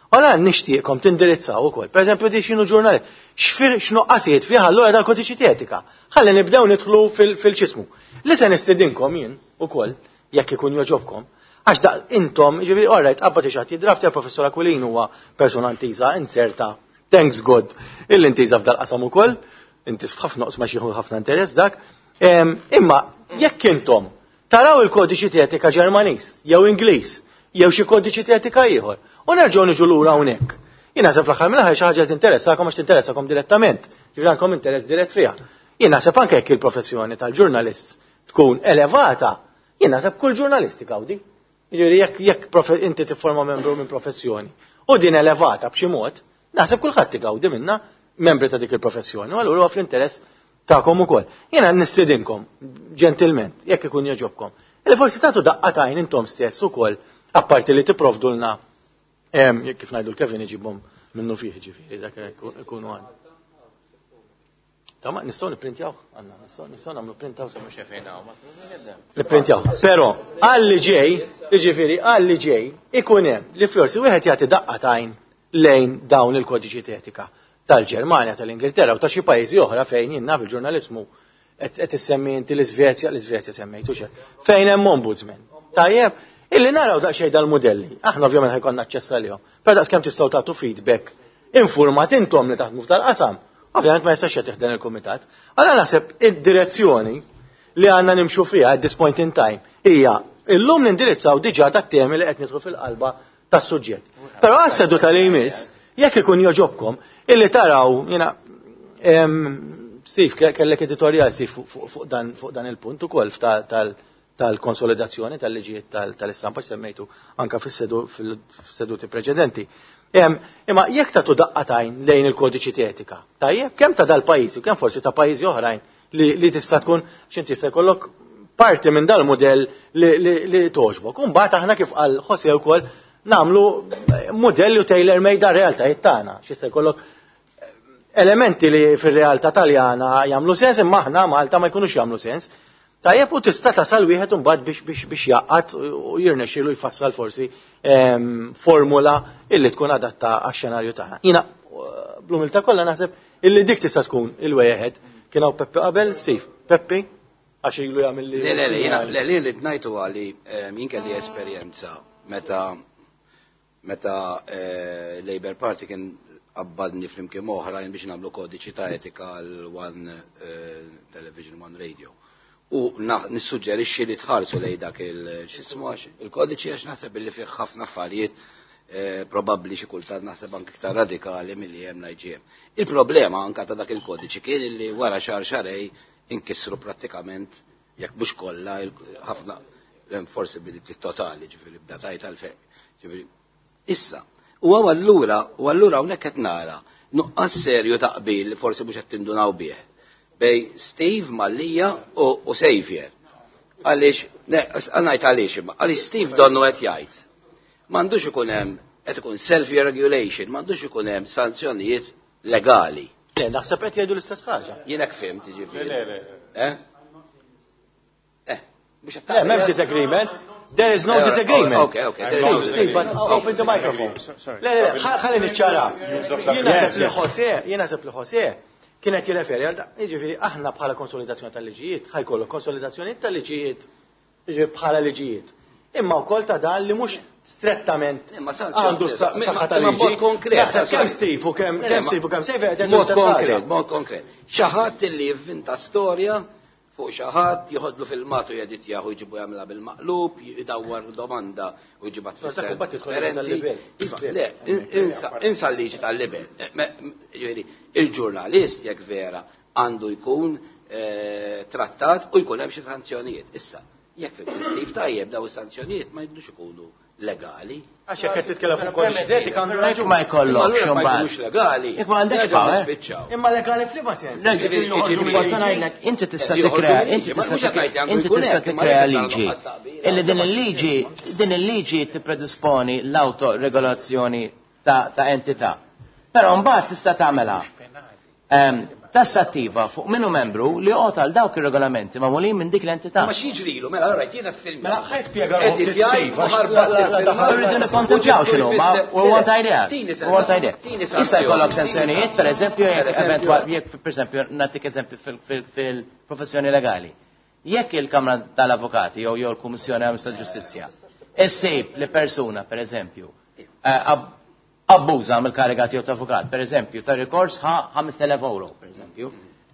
Allura nixtieqkom tindirizzaw ukoll. Pereżempju di x'inhu ġurnalist, x'nuqqasijiet fih allura dal-kodiċi etika. Ħalli nibdew nidħlu fil-ċismu. Li se nistedinkom jien ukoll, jekk ikun joġobkom, għax da intom, ġifieri all right, qabad xi ħadd jidrafti għal-professor Aquilin huwa persuna intiża, inserta, thanks God, il-intiża f'dal-qasam ukoll, inti f'ħafna oqsma xi ħafna interess dak. Imma jekk intom taraw il-kodiċi etika Ġermaniż jew Ingliż jew xi kodiċi etika ieħor, u nerġgħu niġu lura hawnhekk. Jien naħseb fl-aħħar mill-aħħar xi ħaġa tinteressakom għax tinteressakom direttament, ġifieri għandkom interess dirett fiha. Jien naħseb anke jekk il-professjoni tal-ġurnalist tkun elevata, jien naħseb kull ġurnalist igawdi. Ġifieri jekk jekk inti tifforma membru minn professjoni u din elevata b'xi mod, naħseb kulħadd igawdi minnha membri ta' dik il-professjoni, u allura huwa fl-interess tagħkom ukoll. Jiena nistedinkom ġentilment, jekk ikun jogħġobkom, li forsi tagħtu daqqa t'għajn intom stess ukoll, apparti li tipprovdulna kif ngħidu l-Kevin iġibhom minnu fih ġifieri dak ikunu għand. Ta' nistgħu nipprintjaw, għandna, nistgħu nagħmlu printaw. Nipprintjaw. Però għal li ġej, jiġifieri għal li ġej ikun hemm li forsi wieħed jagħti daqqa t'għajn lejn dawn il-kodiċi etika tal-Ġermanja, tal-Ingilterra u ta' xi pajjiżi oħra fejn jien naf il-ġurnalismu qed issemmi inti l-Iżvezja, l-Iżvezja semmejtu xejn. Fejn hemm ombudsman. Tajjeb, illi naraw daqsxejn dal-mudelli. Aħna ovvjament ħajkonna aċċess għalihom. Però daqskemm tistgħu tagħtu feedback informat intom li taħdmu f'dal-qasam. Ovvjament ma jistax jagħtih il-kumitat. Allora naħseb id-direzzjoni li għandna nimxu fiha at this point in time hija illum nindirizzaw diġà tat-temi li qed nidħlu fil-qalba tas-suġġett. Però għas-seduta li jmiss, jekk ikun joġobkom, illi taraw, jiena, Steve, kellek editorial Steve fuq dan, fuq dan il-punt ukoll tal-konsolidazzjoni tal-liġijiet tal-istampa semmejtu anka fis-seduti preċedenti. Imma jekk tagħtu daqqa t'għajn lejn il-kodiċi etika, tajjeb, kemm ta' dal-pajjiż u kemm forsi ta' pajjiżi oħrajn li tista' tkun x'inti jista' jkollok parti minn dal-mudell li toġbok. U mbagħad aħna kif qal Jose wkoll nagħmlu modelli u tailor made għar-realtajiet tagħna. X'jista' jkollok elementi li fir-realtà Taljana jagħmlu sens imma aħna Malta ma jkunux jagħmlu sens. Tajjeb u tista' tasal wieħed imbagħad biex biex biex jaqgħad u jirnexxielu jfassal forsi formula illi tkun adatta għax-xenarju tagħna. Jiena bl-umiltà kollha naħseb illi dik tista' tkun il-wieħed. Kien hawn Peppi qabel, Steve, Peppi, għax ilu jagħmel li.
Le, le, le, jiena le, le, li tnajtu għali jien kelli esperjenza meta meta Labour Party kien qabbadni flimkien oħrajn biex nagħmlu kodiċi ta' etika għal One Television, One Radio. U nissuġġerixxi li tħarsu lej dak il-xismu il-kodiċi għax naħseb li fih ħafna affarijiet probabbli xi kultant naħseb anke iktar radikali milli hemm l-I G M. Il-problema anke ta' dak il-kodiċi kien li wara xahar xahrejn inkisru prattikament jekk mhux kollha ħafna l-enforceability totali, ġifieri bda tajt għalfejn. Ġifieri issa, u allura u allura hawnhekk qed nara nuqqas serju ta' qbil li forsi mhux qed tindunaw bih bej Steve Mallia u Xavier. Għaliex, ngħid għaliex imma, għaliex Steve donnu qed jgħid. M'għandux ikun hemm qed ikun self-regulation, m'għandux ikun hemm sanzjonijiet legali.
Le, naħseb qed jgħidu l-istess ħaġa.
Jien hekk fimt, jiġifieri.
Le, le,
le. Eh? Eh, mhux qed
Le, m'hemm disagreement. There is no disagreement.
Okay, okay.
Steve, Steve, but open the microphone. Le, le, le, ħalli niċċara. Jien naħseb li Jose, jien naħseb li Jose kienet jirreferi għal jiġifieri aħna bħala konsolidazzjoni tal-liġijiet, ħajkollu konsolidazzjoni tal-liġijiet, jiġifieri bħala liġijiet. Imma wkoll ta' dan li mhux strettament għandu saħħa tal-liġi.
Konkret.
Kemm Steve u kemm kemm Steve u kemm Xavier
Mod konkret, mod konkret. Xi ħadd li jivvinta storja fuq xi ħadd, joħodlu filmat u jeditjah u jġibu jagħmilha bil-maqlub, jdawwar domanda u jġibha tfisser differenti. Le, insa l-liġi tal-libel. Il-ġurnalist jekk vera għandu jkun trattat u jkun hemm xi sanzjonijiet. Issa, jekk fil-Steve tajjeb daw is-sanzjonijiet ma jidux ikunu legali.
Għax jekk qed titkellem fuq kodiċi etika għandu raġun.
Ma jkollokx
ma jkunux legali.
Jekk ma għandekx power.
Imma legali f'liema sens.
Inti tista' tikkrea, inti tista' inti tista' tikkrea liġi. Illi din il-liġi, din il-liġi tippredisponi l-autoregolazzjoni ta' entità. Però mbagħad tista' tagħmelha tassattiva fuq minnu membru li joqgħod għal dawk ir-regolamenti magħmulin minn dik l-entità.
Ma x'jiġrilu, mela rajt jiena film.
Mela ħa jispjega
Irridu nikkontemplaw x'inhu ma u want idea. U want idea. Jista' jkollok sanzjonijiet, pereżempju, jekk eventwal jekk pereżempju nagħtik eżempju fil-professjoni legali. Jekk il-Kamra tal-Avukati jew jew l-Kummissjoni tal-Ġustizzja issib li persuna, pereżempju, abbuża mill-kariga tiegħu ta' avukat, per eżempju, ta' rikors ħa ħamest elef euro, per eżempju,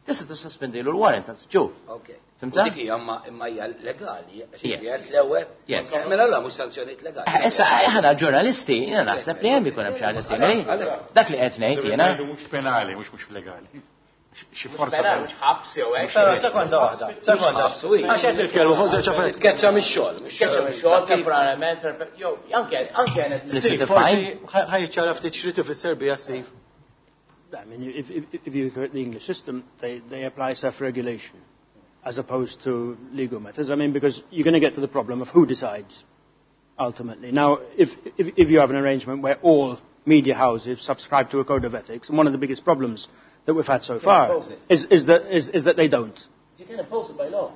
tista' tissuspendilu l-warrant ta' ġuf.
Ok. Fimta? Dik hija imma hija legali, għax l-ewwel. Mela la mhux sanzjonijiet legali.
Issa aħna ġurnalisti, jiena naħseb li hemm ikun hemm xi ħaġa simili. Dak li qed ngħid jiena.
Mhux penali, mhux mhux legali. Xi forza
mhux ħabs jew hekk.
Però sekonda waħda, sekonda. Għax qed nitkellmu fuq żewġ affarijiet.
Tkeċċa mix-xogħol.
Tkeċċa mix-xogħol temporanjament, jew anke anke
Steve, forsi ħa jiċċara ftit x'rid ifisser biha Steve.
I mean, if, if, if you look at the English system, they, they apply self-regulation as opposed to legal methods. I mean, because you're going to get to the problem of who decides ultimately. Now, if, if, if you have an arrangement where all media houses subscribe to a code of ethics, and one of the biggest problems that we've had so far is, is, that, is, is that they don't.
You can impose it by law.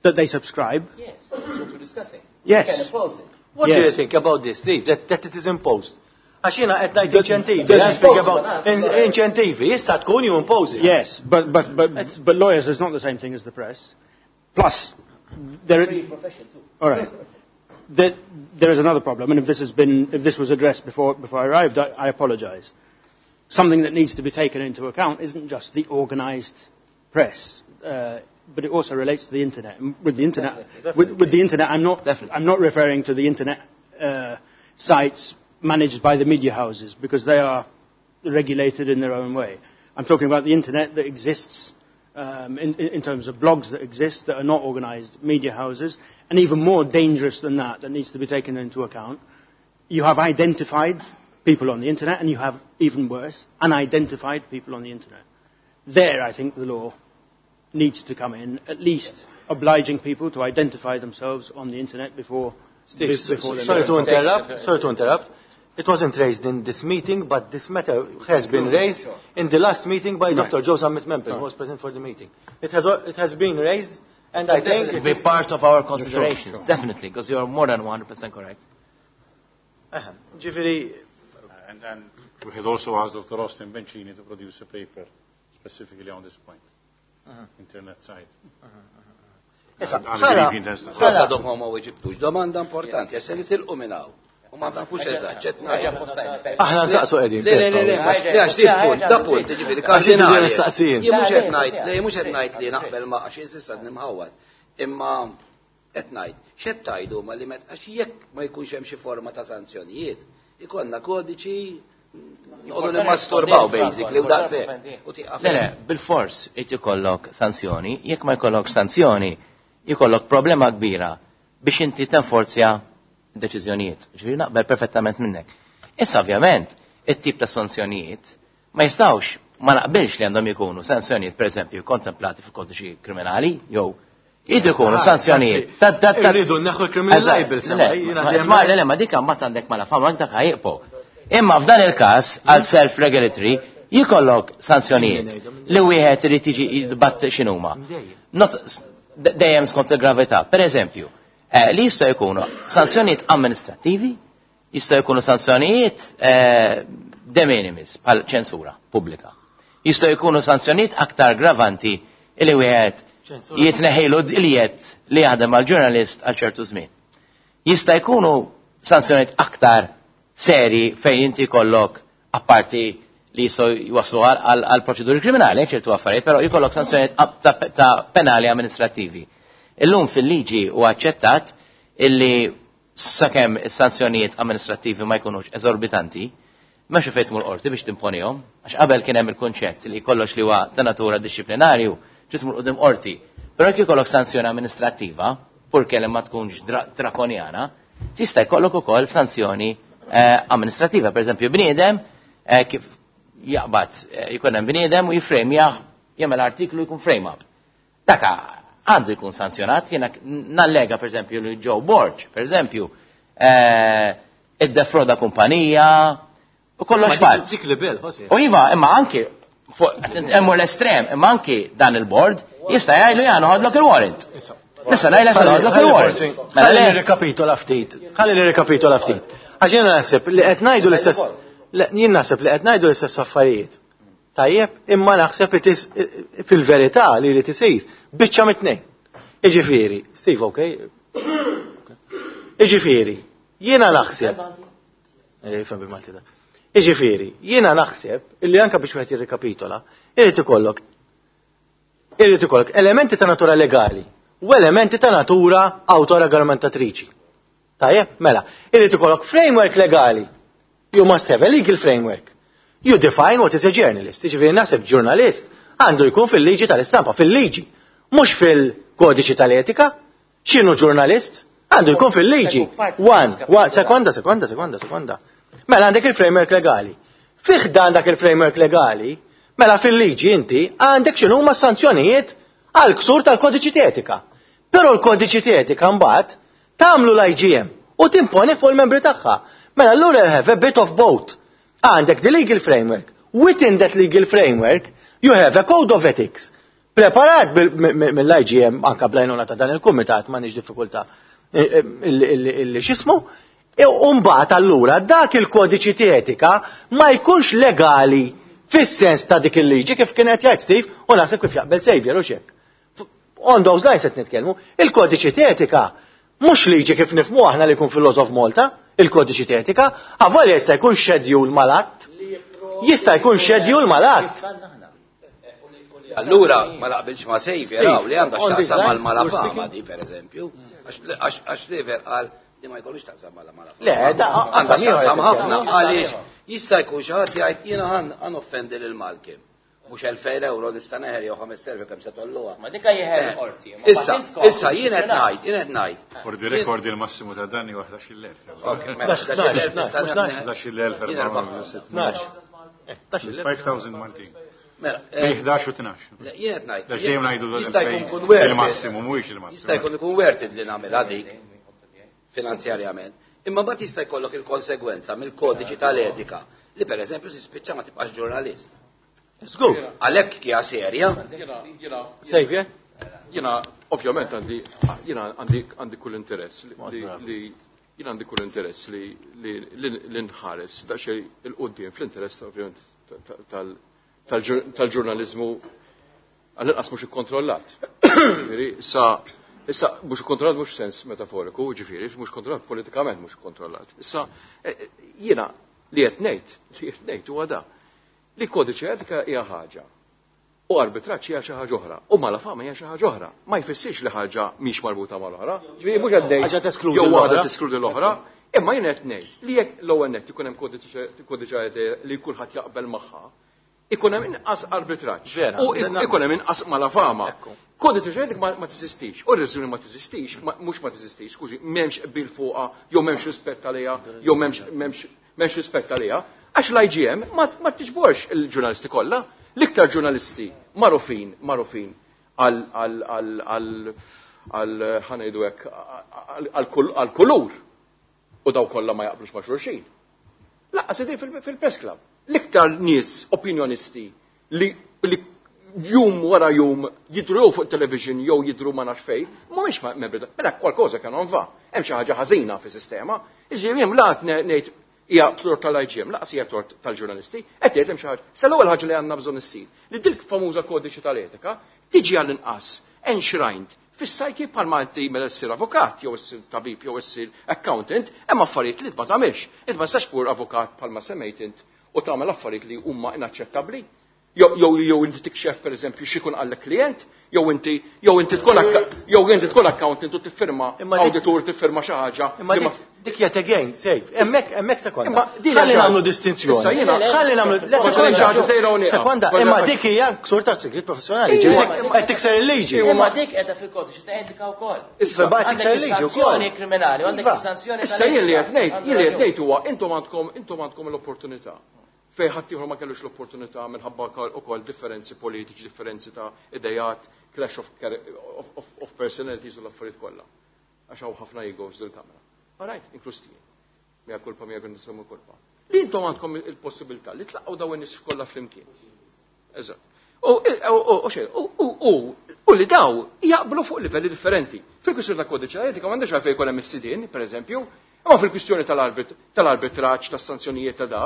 That they subscribe?
Yes, that's what we're discussing.
Yes.
You can impose it.
What
yes.
do you think about this, Steve, that, that it is imposed? Għax jiena qed ngħid inċentivi, I speak about inċentivi, issa tkun you impose it.
Yes, but, but, but, but lawyers is not the same thing as the press. Plus, there
is... profession too.
All right. There, there is another problem, and if this has been, if this was addressed before, before I arrived, I, I apologize. Something that needs to be taken into account isn't just the organized press, uh, but it also relates to the internet. And with the internet,
definitely, definitely.
With, with the internet, I'm not,
definitely.
I'm not referring to the internet uh, sites managed by the media houses, because they are regulated in their own way. I'm talking about the internet that exists um, in, in terms of blogs that exist that are not organized media houses, and even more dangerous than that, that needs to be taken into account. You have identified people on the internet, and you have, even worse, unidentified people on the internet. There, I think the law needs to come in, at least obliging people to identify themselves on the internet before...
Steve,
before
sorry to interrupt, sorry to interrupt. It wasn't raised in this meeting, but this matter has been raised in the last meeting by Doctor Joe Zammit Maempel, who was present for the meeting. It has, it has been raised, and I think...
It will be part of our considerations, definitely, because you are more than one hundred percent correct.
Ġifieri...
And then we had also asked Doctor Austin Bencini to produce a paper specifically on this point,
uh-huh.
internet site.
Issa,
ħala għadhom ma weġibtux, domanda importanti, għax se nitilqu minn hawn. U ma nafux eżatt, ċed ngħid.
Aħna nsaqsu qegħdin.
Le, le, le, le, għax dik punt, da punt, ġifieri kardinali. Jien mhux qed ngħid, le, mhux qed ngħid li naqbel ma għax insissa nimħawwad. Imma qed ngħid, x'qed tgħidu ma li met għax jekk ma jkunx hemm xi forma ta' sanzjonijiet, ikollna kodiċi noqogħdu nimmasturbaw basically u daqshekk.
Le, le, bil-fors irid ikollok sanzjoni, jekk ma jkollok sanzjoni, jkollok problema kbira biex inti tenforzja deċiżjonijiet. Ġifieri naqbel perfettament minnek. Issa ovvjament, it-tip ta' sanzjonijiet ma jistgħux, ma naqbilx li għandhom ikunu sanzjonijiet pereżempju kontemplati fil-kodiċi kriminali jew jridu jkunu sanzjonijiet.
Irridu neħu l-criminal libel.
Isma' le, ma dik mbagħad għandek mala fama dak ħajqpo. Imma f'dan il-każ għal self-regulatory jikollok sanzjonijiet li wieħed irid jiġi jidbatt x'inhuma. Dejjem skont il-gravità. Per eżempju, li jistgħu jkunu sanzjonijiet amministrattivi, jistgħu jkunu sanzjonijiet de minimis bħal ċensura pubblika. Jistgħu jkunu sanzjonijiet aktar gravanti li wieħed jitneħilu l-jiet li jaħdem għal ġurnalist għal ċertu żmien. Jista' jkunu sanzjonijiet aktar seri fejn inti kollok apparti li jistgħu jwaslu għal proċeduri kriminali, ċertu affarijiet, però jkollok sanzjonijiet ta' penali amministrativi. Illum fil-liġi huwa aċċettat illi sakemm is-sanzjonijiet amministrativi ma jkunux eżorbitanti, m'hemmx fejn tmur qorti biex timponihom, għax qabel kien hemm il-kunċett li kollox li huwa ta' natura dixxiplinarju trid tmur quddiem qorti. Però jekk ikollok sanzjoni amministrattiva, purché li ma tkunx drakonjana, tista' jkollok ukoll sanzjoni eh, amministrativa. Per eżempju, bniedem eh, kif jaqbad eh, jkun hemm bniedem u jifrejmjah jagħmel artiklu jkun frame up. Daka għandu jkun sanzjonat, jiena nallega per eżempju li Joe Borg, per eżempju, iddefroda kumpanija u kollox falz.
Dik li bel, Jose.
U iva, imma anki hemm l-estrem, imma anki dan il-board jista' jgħidlu jgħan noħodlok il-warrant. Nista' ngħidlek se noħodlok il-warrant. Mela
Ħalli
le,
nirrikapitola ftit. Ħalli nirrikapitola ftit. Għax jiena naħseb li qed ngħidu l-istess le, jien naħseb li qed ngħidu l-istess affarijiet. Tajjeb, imma naħseb it is fil-verità li li tisir biċċa mit-tnejn. Iġifieri, Steve, okay? Iġifieri, jiena naħseb. Eh, Ifhem bil-Malti da. Iġifieri, jiena naħseb illi anke biex wieħed jirrikapitola, irid ikollok irid ikollok elementi ta' natura legali u elementi ta' natura autoregolamentatriċi. Tajjeb, mela, irid ikollok framework legali. You must have a legal framework. You define what is a journalist. Jiġifieri naħseb ġurnalist għandu jkun fil-liġi tal-istampa, fil-liġi, mhux fil-kodiċi tal-etika. X'inhu ġurnalist? Għandu jkun fil-liġi. One, one, sekonda, sekonda, sekonda, sekonda. Mela għandek il-framework legali. Fih dan dak il-framework legali, mela fil-liġi inti għandek x'inhuma sanzjonijiet għal ksur tal-kodiċi etika. Però l-kodiċi etika mbagħad tagħmlu l-I G M u timponi fuq il-membri tagħha. Mela allura you have a bit of both. Għandek the legal framework. Within that legal framework, you have a code of ethics. Preparat mill-I G M anka bl-għajnuna ta' dan il-kumitat, m'għandix diffikultà illi x'ismu, u mbagħad allura dak il-kodiċi etika ma jkunx legali fis-sens ta' dik il-liġi kif kien qed jgħid Steve u naħseb kif jaqbel Xavier u xek. On those lines qed nitkellmu, il-kodiċi etika mhux liġi kif nifhmu aħna li jkun fil-Laws of Malta, il-kodiċi etika, avolja jista' jkun schedule mal-att. Jista' jkun schedule mal-att.
Allura, ma naqbilx ma' Xavier, raw, li għandha x'taqsam mal-malafama di, per eżempju. Għax Xavier qal li ma jkollux taqsam mal-malafama.
Le, da
għandha x'taqsam ħafna, għaliex jista' jkun xi ħadd jgħid jiena ħa noffendi lil Malcolm. Mhux elfejn euro nista' neħel jew ħames elef kemm se tolluha.
Ma dika jeħel qorti.
Issa, issa jien qed ngħid, jien qed ngħid.
For the record, il-massimu ta' danni huwa ħdax-il elf. ħdax-il elf five thousand Maltin.
Mela,
Bejn ħdax u tnax.
Jien qed ngħid.
Għax dejjem ngħidu
Jista' jkun kun worth it.
il-massimu, mhuwiex il-massimu.
Jista' jkun ikun worth it li nagħmilha dik finanzjarjament. Imma mbagħad jista' jkollok il-konsegwenza mill-kodiċi tal-etika li per eżempju tispiċċa ma tibqax ġurnalist.
Żgur.
Għalhekk hija serja.
Xavier?
Jiena, ovvjament, għandi, jiena għandi, għandi kull interess li, li jiena għandi kull interess li, li, li, li nħares daqsxejn 'il quddiem fl-interess ovvjament tal-ġurnalizmu għall-inqas mhux ikkontrollat. Ġifieri, issa issa mhux ikkontrollat mhux sens metaforiku, ġifieri, mhux kontrollat politikament mhux ikkontrollat. Issa eh, jiena li qed ngħid, li qed ngħid huwa da. Li kodiċi etika hija ħaġa. U arbitraġġ hija xi ħaġa oħra. U malafama hija xi ħaġa oħra. Ma jfissirx li ħaġa mhix marbuta mal-oħra. Ġifieri mhux qed ngħid
Ħaġa teskludi
jew waħda
l-oħra.
teskludi l-oħra. Imma jien qed ngħid li jekk l-ewwel nett ikun hemm kodiċi etika li kulħadd jaqbel magħha, ikun hemm inqas arbitraġġ.
Vera.
U ikun hemm inqas malafama. Kodiċi etika ma ma teżistix. U r-reżuni ma teżistix, mhux ma teżistix, skużi, m'hemmx qbil fuqha, jew m'hemmx rispett għaliha, jew m'hemmx m'hemmx m'hemmx rispett għaliha, għax l-I G M ma ma tiġborx il-ġurnalisti kollha. L-iktar ġurnalisti magħrufin, magħrufin għal għal għal għal għal ħa ngħidu hekk għal kulur u daw kollha ma jaqblux ma' xulxin. Lanqas idej fil-press club. L-iktar nies opinjonisti li, li jum wara jum jidru jew fuq television jew jidru ma nafx fejn, mhumiex membri. Mela qualcosa che non va. Hemm xi ħaġa ħażina fis-sistema. Iġifieri hemm la ngħid hija tort tal-I G M, lanqas hija tort tal-ġurnalisti, qed jgħid hemm xi ħaġa. Sa l-ewwel ħaġa li għandna bżonn issir li dik famuża kodiċi tal-etika tiġi għall-inqas enshrined fis-sajki bħalma inti mela ssir avukat jew issir tabib jew issir accountant, hemm affarijiet li ma tagħmilx. Int ma tistax pur avukat bħalma semmejt int u tagħmel affarijiet li huma inaċċettabbli. Jew jew inti tikxef pereżempju x'ikun qallek klient, jew inti jew inti tkun jew inti tkun accountant u tiffirma awditur tiffirma xi ħaġa.
Imma dik yet again, safe. Hemmhekk hemmhekk sekonda. Ħalli nagħmlu distinzjoni.
Issa jiena
ħalli nagħmlu sekonda, imma dik hija ksur ta' sigriet professjonali. Qed tikser il-liġi.
Imma dik qiegħda fil-kodiċi ta' etika wkoll.
Issa
għandek sanzjoni kriminali, għandek sanzjoni.
Issa jien li qed ngħid, jien li qed ngħid huwa intom għandkom intom għandkom l-opportunità fejn ħaddieħor ma kellux l-opportunità minħabba ukoll differenzi politiċi, differenzi ta' idejat, clash of, of, of, of personalities u l-affarijiet kollha. Għax hawn ħafna egos dil-kamra. All right, inkluż tiegħi. Mija kulpa, mija nisemu kulpa. Li intom għandkom il-possibilità li tlaqgħu dawn in-nies kollha flimkien. Eżatt. U u u li daw jaqblu fuq livelli differenti. Fil-kwistjoni ta' kodiċi etika m'għandux għalfejn jkun hemm is-sidien, pereżempju, imma fil-kwistjoni tal-arbitraġġ, tas-sanzjonijiet ta' da,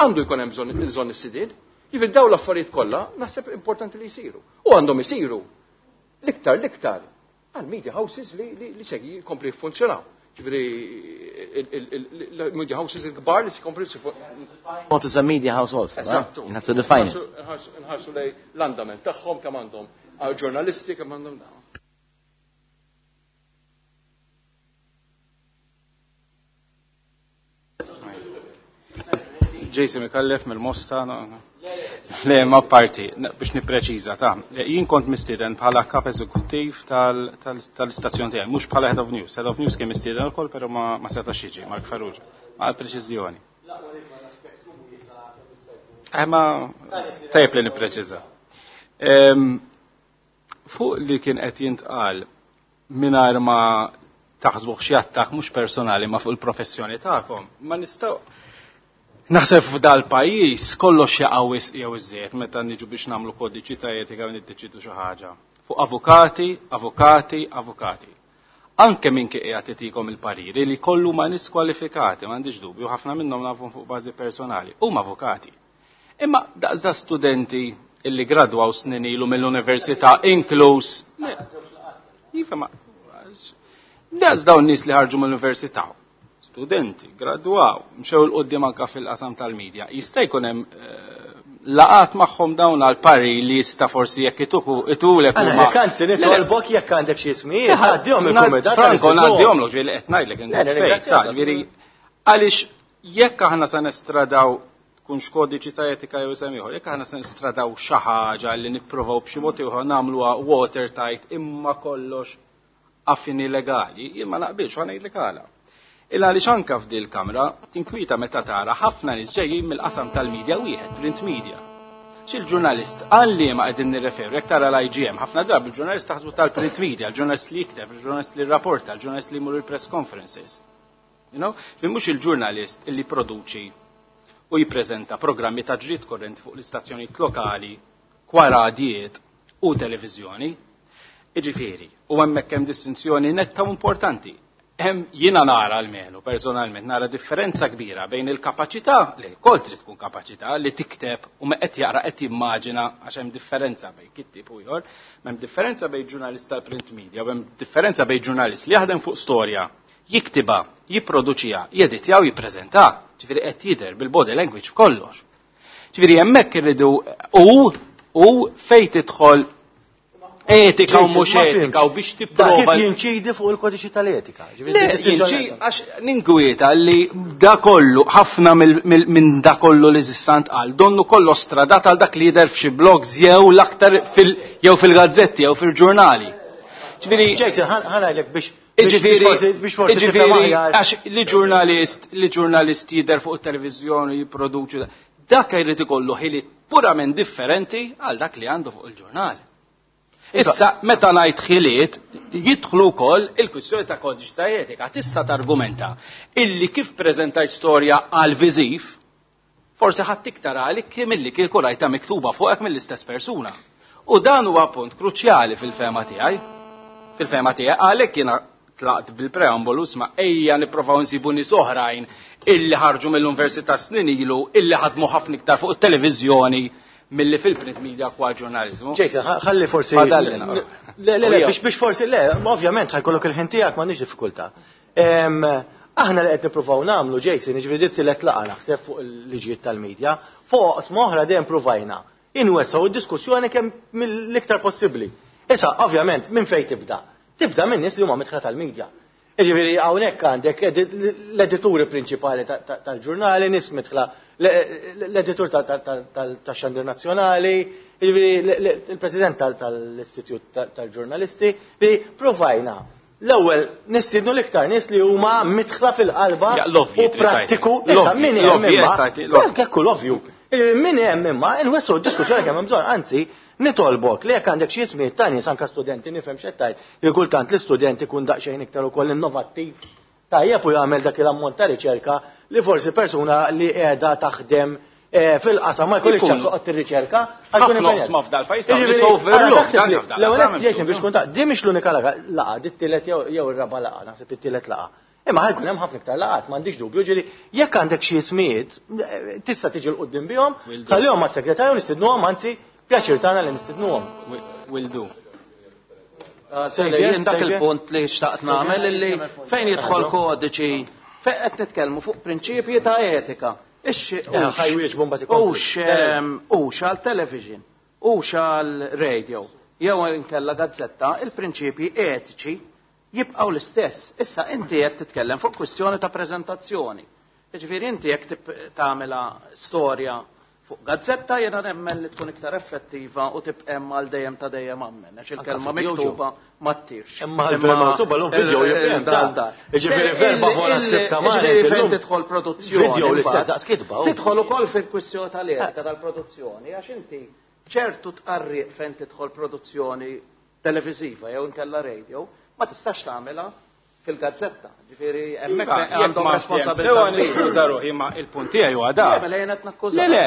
għandu jkun hemm bżonn bżonn is-sidien. Jiġifieri dawn l-affarijiet kollha naħseb importanti li jsiru. U għandhom isiru l-iktar l-iktar għal media houses li, li, li se jkompli jiffunzjonaw. Ġifieri il-media houses il-kbar li se jkompli
What is a media house also?
Eżattu.
You have to define it.
Nħarsu lej l-andament tagħhom kemm għandhom ġurnalisti kemm għandhom dawn.
Jason Mikallef mill-Mosta, le ma parti, biex nipreċiża ta' jien kont mistieden bħala kap eżekuttiv tal-istazzjon tiegħi, mhux bħala Head of News. Head of News kien mistieden ukoll, però ma setax jiġi, Mark Farrugia, ma preċiżjoni. Eh ma tajjeb li nippreċiża. Fuq li kien qed jintqal mingħajr ma taħsbuh xi attakk mhux personali ma fuq il-professjoni tagħkom, ma nistgħu naħseb f'dal pajjiż kollox jaqa' wisq jew iżjed meta niġu biex nagħmlu kodiċi ta' etika u niddeċidu xi ħaġa. Fuq avukati, avukati, avukati. Anke min kien qiegħed itikom il-pariri li kollu ma nies kwalifikati, m'għandix dubju, ħafna minnhom nafhom fuq bażi personali, huma avukati. Imma daqs da studenti illi gradwaw snin ilu mill-università inkluż. Iva ma daqs dawn nies li ħarġu mill-università. Studenti, gradwaw, mxew l-qoddim anka fil-qasam tal-medja. Jista' jkun hemm laqat magħhom dawn għal pari li jista' forsi jekk ituku itulek
huma. Anzi nitolbok jekk għandek xi ismijiet, għaddihom il-kumitat.
Franco ngħaddihomlok ġieli qed ngħidlek ġifieri għaliex jekk aħna se nestradaw tkunx kodiċi ta' etika jew isem ieħor, jekk aħna se nestradaw xi ħaġa li nippruvaw b'xi mod ieħor nagħmluha watertight imma kollox affini legali, jien ma naqbilx u ngħidlek għala. Illa għaliex anka f'dil kamra tinkwita meta tara ħafna nies ġejjin mill-qasam tal-medja wieħed, print media. X'il-ġurnalist għalli ma qegħdin nirreferu, jekk tara l-I G M, ħafna drabi il-ġurnalist taħsbu tal-print media, il-ġurnalist li jikteb, il-ġurnalist li rrapporta, il-ġurnalist li jmur il-press conferences. You know? Li mhux il-ġurnalist illi produċi u jippreżenta programmi ta' ġrid korrenti fuq l-istazzjonijiet lokali, kwaradijiet u televiżjoni. Iġifieri, u hemmhekk hemm distinzjoni netta u importanti. Hemm jiena nara almenu personalment nara differenza kbira bejn il-kapaċità li wkoll trid tkun kapaċità li tikteb u me qed jaqra qed jimmaġina għax hemm differenza bejn kittib u ieħor, hemm differenza bejn ġurnalist tal-print media u hemm differenza bejn ġurnalist li jaħdem fuq storja, jiktiba, jipproduċiha, jeditja u jippreżenta, ġifieri qed jidher bil-body language f'kollox. Ġifieri hemmhekk irridu u u fejn tidħol etika u mhux etika u biex tipprova.
Kif jinċidi fuq il-kodiċi tal-etika?
Le, jinċi għax ninkwieta li da kollu, ħafna minn da kollu li żissant qal, donnu kollu stradat għal dak li jidher f'xi blogs jew l-aktar jew fil-gazzetti jew fil-ġurnali.
Ġifieri Jason, ħa ngħidlek biex
Iġifieri, iġifieri, għax li ġurnalist, li ġurnalist jidher fuq it-televiżjoni jipproduċi, dak jrid ikollu ħiliet purament differenti għal dak li għandu fuq il-ġurnal. Issa, meta ngħid ħiliet, jidħlu wkoll il-kwistjoni ta' kodiċi ta' etika. Tista' targumenta illi kif preżentajt storja għal viżiv, forsi ħadd iktar għalik milli kieku rajta miktuba fuqek mill-istess persuna. U dan huwa punt kruċjali fil-fema tiegħi. Fil-fema tiegħi għalhekk jiena tlaqt bil-preambolu sma ejja nipprovaw nsibu nies oħrajn illi ħarġu mill-università snin ilu illi ħadmu ħafna iktar fuq it-televiżjoni milli fil-print media kwa ġurnalizmu.
Jason, ħalli forsi. Le, le, le, biex biex forsi, le, ovvjament ħajkollok il-ħin tiegħek m'għandix diffikultà. Aħna li qed nippruvaw nagħmlu, Jason, jiġifieri dit-tielet laqgħa naħseb fuq il-liġijiet tal-medja, fuq oqsma oħra dejjem pruvajna inwessgħu d-diskussjoni kemm mill-iktar possibbli. Issa, ovvjament, minn fejn tibda? Tibda minn nies li huma midħla tal-medja. Jiġifieri hawnhekk għandek l-edituri prinċipali tal-ġurnali, nies midħla l-editur tax-xandir nazzjonali, jiġifieri il-president tal-Istitut tal-Ġurnalisti, li provajna l-ewwel nistiednu l-iktar nies li huma midħla fil-qalba u prattiku. Issa min hemm imma, hekk l-ovvju. Min hemm imma nwessgħu d-diskussjoni kemm hemm bżonn, anzi nitolbok li jekk għandek xi ismijiet ta' nies anke studenti, nifhem x'qed tgħid li kultant l-istudent ikun daqsxejn iktar ukoll innovattiv tajjeb u jagħmel dak il-ammont ta' riċerka li forsi persuna li qiegħda taħdem fil-qasam ma jkollix ċans toqgħod tirriċerka.
Ħafna oqsma f'dal-pajjiż overlook.
L-ewwel qed Jason biex tkun ta' di mhix l-unika laqgħa, di t-tielet jew ir-raba' laqgħa, naħseb it-tielet laqgħa. Imma ħajkun hemm ħafna iktar laqgħat, m'għandix dubju, ġieli jekk għandek xi ismijiet tista' tiġi l quddiem bihom, tħallihom mas-segretarju nistidnuhom, anzi pjaċir tagħna li nistidnuhom.
Will do.
Jien dak il-punt li xtaqt nagħmel illi fejn jidħol kodiċi, fejn qed nitkellmu fuq prinċipji ta' etika. Hux għal television, hux għal radio, jew inkella gazzetta, il-prinċipji etiċi jibqgħu l-istess. Issa inti qed titkellem fuq kwistjoni ta' preżentazzjoni. Jiġifieri inti jekk tagħmilha storja fuq gazzetta jiena nemmen li tkun iktar effettiva u tibqa' hemm għal dejjem ta' dejjem ammen, għax il-kelma miktuba ma ttirx.
Imma l-kelma miktuba llum video jibqa' hemm. Jiġifieri verba wara skritta ma'
Jiġifieri fejn tidħol produzzjoni.
Video l-istess daqs kitba.
Tidħol ukoll fil-kwistjoni tal-etika tal-produzzjoni għax inti ċertu tqarriq fejn tidħol produzzjoni televiżiva jew inkella radio ma tistax tagħmilha fil-gazzetta. Ġifieri hemmhekk għandhom responsabilità.
Sewa niskuża ruħi ma il-punt tiegħi huwa da.
Mela jiena qed nakkuża.
Le le,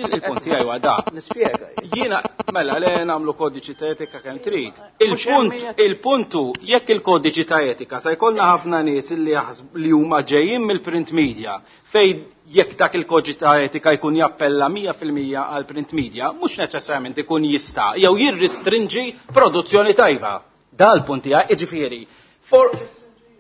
il-punt tiegħi huwa da.
Nispjega.
Jiena mela le nagħmlu kodiċi ta' etika kemm trid. Il-punt il-puntu jekk il-kodiċi ta' etika se jkollna ħafna nies li li huma ġejjin mill-print media fejn jekk dak il-kodiċi ta' etika jkun jappella mija fil-mija għal print media, mhux neċessarjament ikun jista' jew jirrestrinġi produzzjoni tajba. Da l-punt tiegħi, jiġifieri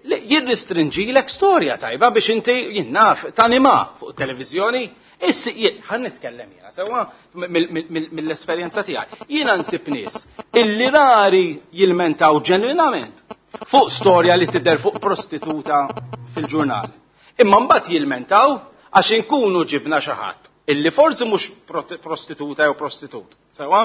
jirrestrinġilek storja tajba biex inti jinnaf tanima fuq televizjoni. Issi ħan nitkellem jiena sewwa mill-esperjenza tiegħi. Jiena nsib nies illi rari jilmentaw ġenwinament fuq storja li tidher fuq prostituta fil-ġurnal. Imma mbagħad jilmentaw għax inkunu ġibna xi ħadd illi forsi mhux prostituta jew prostitut. Sewwa?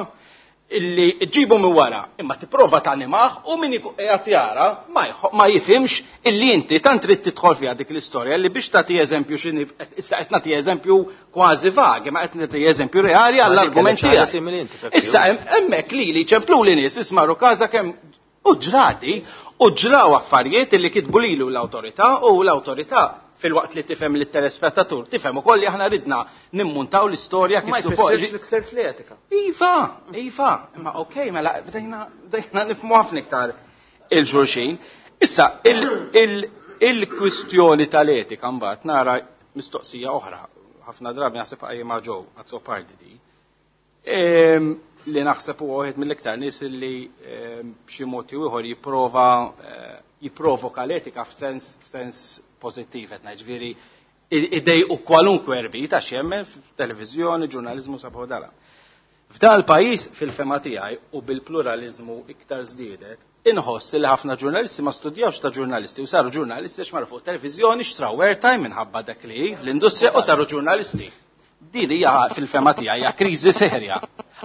Illi ġibu minn wara, imma tipprova tanimaħ u min qiegħed jara ma jifhimx illi inti tant trid tidħol fiha dik l-istorja li biex tagħti eżempju x'inhi issa qed nagħti eżempju kważi vag, imma qed nagħti eżempju reali għall-argument tiegħek. Issa hemmhekk lili ċemplu li nies ismaru każa kemm u ġrati u ġraw affarijiet illi kitbu lilu l-awtorità u l-awtorità fil-waqt li tifhem lit-telespettatur, tifhem ukoll li aħna ridna nimmuntaw l-istorja kif suppost.
Ma jfissirx li ksert l-etika.
Iva, iva, imma okej, mela bdejna bdejna nifhmu ħafna iktar il-xulxin. Issa il-kwistjoni tal-etika mbagħad nara mistoqsija oħra, ħafna drabi naħseb qajjimha ġew Azzopardi di. Li naħseb huwa wieħed mill-iktar nies li b'xi mod jew ieħor jipprova jipprovoka l-etika f'sens f'sens pożittiv qed ngħid, ġifieri idejqu kwalunkwe erbit għax jemmen f'televiżjoni, ġurnaliżmu sabu dala. F'dan il-pajjiż fil-fema tiegħi u bil-pluraliżmu iktar żdiedet, inħoss li ħafna ġurnalisti ma studjawx ta' ġurnalisti u saru ġurnalisti għax marru fuq televiżjoni xtraw airtime minħabba dak li l-industrija u saru ġurnalisti. Din hija fil-fema tiegħi hija kriżi serja.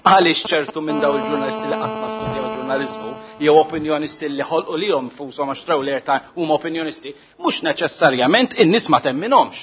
Għaliex ċertu minn daw il-ġurnalisti li qatt ma studjaw ġurnaliżmu jew opinjonisti li ħolqu lihom fushom għax traw l-airtime huma opinjonisti, mhux neċessarjament in-nies ma temminhomx.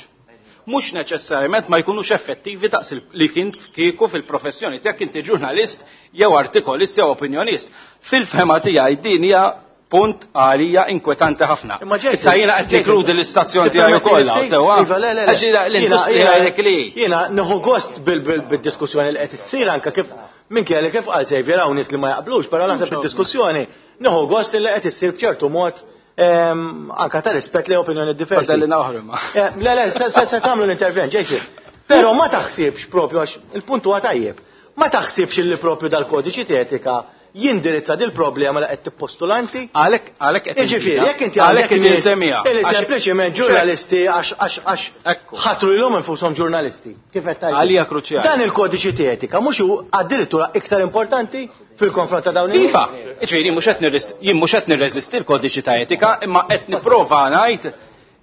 Mhux neċessarjament ma jkunux effettivi daqs li kien kieku fil-professjoni tiegħek inti ġurnalist jew artikolist jew opinjonist. Fil-fema tiegħi din hija punt għalija inkwetanti ħafna. Issa jiena qed nikkludi l-istazzjon tiegħi ukoll, sewwa. Għax l-industrija dik li.
Jiena nieħu gost bil-diskussjoni li qed issir anke kif minkejja li kif qal Xavier hawn nies li ma jaqblux, però naħseb id-diskussjoni nieħu gost li qed issir b'ċertu mod anke ta' rispett li opinjoni diversi.
Fadalli naħru ma.
Le le, se tagħmlu l-intervent, Jason. Però ma taħsibx propju għax il-punt huwa tajjeb. Ma taħsibx li propju dal-kodiċi etika jindirizza dil problema li qed tippostulanti.
Għalhekk għalhekk qed
Jiġifieri, jekk inti
għalhekk qed insemmiha.
Illi sempliċiment ġurnalisti għax għax għax ħatru lilhom infushom ġurnalisti. Kif qed tgħid?
Għalija kruċjali.
Dan il-kodiċi ta' etika mhux hu addirittura iktar importanti fil-konfront ta' dawn
Iva, ġifieri mhux qed nirrest jien mhux qed nirreżisti l-kodiċi ta' etika, imma qed nipprova ngħid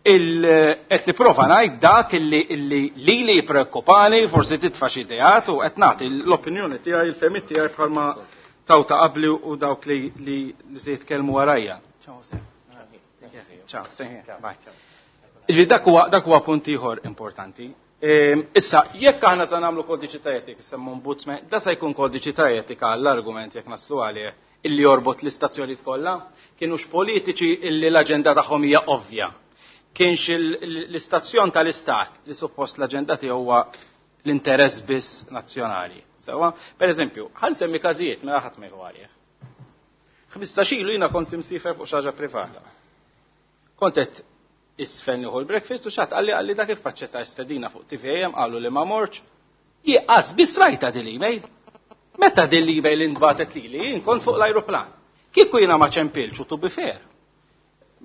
il qed nipprova ngħid dak illi illi lili jippreokkupani, forsi titfa' xi ideat u qed nagħti l-opinjoni tiegħi, il-fehmiet tiegħi bħalma taw ta' qabli u dawk li li li se jitkellmu warajja. Ciao, bye. Ġifieri dak huwa dak huwa punt ieħor importanti. Ehm, Issa, jekk aħna se nagħmlu kodiċi ta' etika, semmu ombudsman, da se jkun kodiċi ta' etika għall-argument jekk naslu għalih illi jorbot l-istazzjonijiet kollha, kienux politiċi illi l-aġenda tagħhom hija ovvja. Kienx l-istazzjon tal-istat li suppost l-aġenda tiegħu huwa l-interess biss nazzjonali. Sewa, per eżempju, ħa nsemmi każijiet mela ħadd ma jieħu għalih. Ħmistax ilu jiena kont imsiefer fuq xi ħaġa privata. Kont qed isfel nieħu l-breakfast u xi ħadd qalli qalli dak kif paċċetta stedina fuq T V A M qalu li ma morċ. Jieqas biss rajta din l-email. Meta din l-email intbatet lili, jien kont fuq l-ajruplan. Kieku jiena ma ċempilx u to be fair.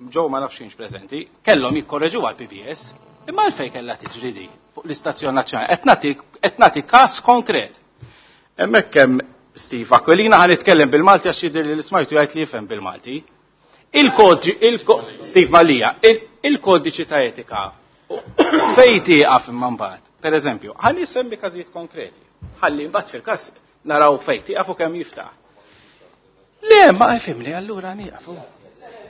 Ġew ma nafx kienx preżenti, kellhom jikkorreġu għal P B S, imma għalfejn kellha tiġri di fuq l-istazzjon nazzjonali. Qed nagħti qed nagħti każ konkret. Hemmhekk hemm Steve Aquilina, ħa nitkellem bil-Malti għax jidher li l-ismajtu jgħid li jifhem bil-Malti. Il-kodiċi, il Steve Mallia, il-kodiċi ta' etika fejn tieqaf imma mbagħad. Per eżempju, ħalli semmi każijiet konkreti. Ħalli mbagħad fil-każ naraw fejn tieqaf u kemm jiftaħ. Le, ma fimli, allura nieqaf.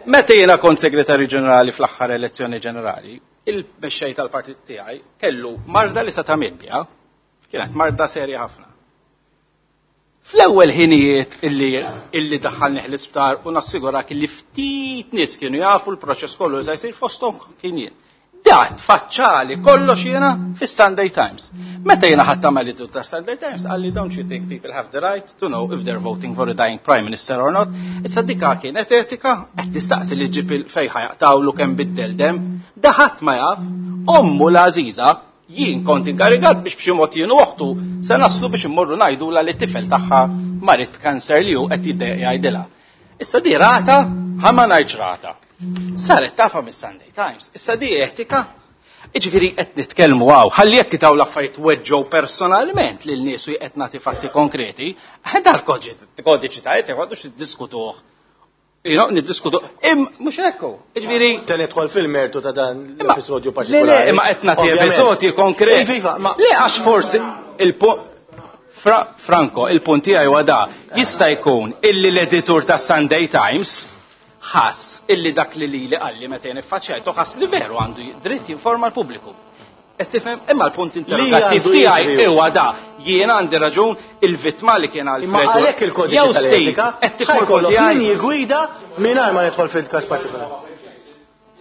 Meta jiena kont segretarju ġenerali fl-aħħar elezzjoni ġenerali, il-mexxej tal-partit tiegħi kellu marda li sa ta' biha, kienet marda serja ħafna. Fl-ewwel ħinijiet illi illi daħħalni l-isptar u nassigurak illi ftit nies kienu jafu l-proċess kollu li se jsir, fosthom kien jien. Dat faċċali kollox jiena fis-Sunday Times. Meta jiena ħadd tagħmel ta' Sunday Times qalli, "Don't you think people have the right to know if they're voting for a dying prime minister or not?" Issa dika kienet etika? Qed tistaqsi li ġib fejn ħajaqtawlu kemm biddel dem. Da ħadd ma jaf, ommu l-għażiża, jien kont inkarigat biex b'xi mod jien u oħtu se naslu biex immorru ngħidu la li t-tifel tagħha marid kanser li hu qed jgħidilha. Issa di rata, ħa ma ngħidx rata. Saret tafa mis-Sunday Times. Issa di etika? Iġifieri qed nitkellmu hawn, ħalli jekk daw l-affarijiet weġġew personalment lil nies u qed nagħti fatti konkreti, dal-kodiċi ta' etika għadux niddiskutuh. You know, niddiskutu, im, mhux ekku. Iġifieri.
Se nidħol fil-mertu ta' dan l-episodju
Le,
partikolari.
le, imma qed nagħti episodji konkreti.
Iva, ma
Le, għax forsi il-punt Fra, Franco, il-punt tiegħi huwa da, jista' jkun illi l-editur ta' Sunday Times ħass illi dak li lili qalli meta jien iffaċċjajtu ħass li veru għandu dritt jinforma l-pubbliku. Qed tifhem? Imma l-punt interrogattiv
għandu
tiegħi
jiġri.
huwa da, jien għandi raġun il-vittma li kien
Imma
Alfredo.
għalhekk il-kodiċi
Jew Steve,
tal-etika
qed tifhem il-punt
ħajkollok
tiegħi?
linji gwida mingħajr ma nidħol fil-każ partikolari.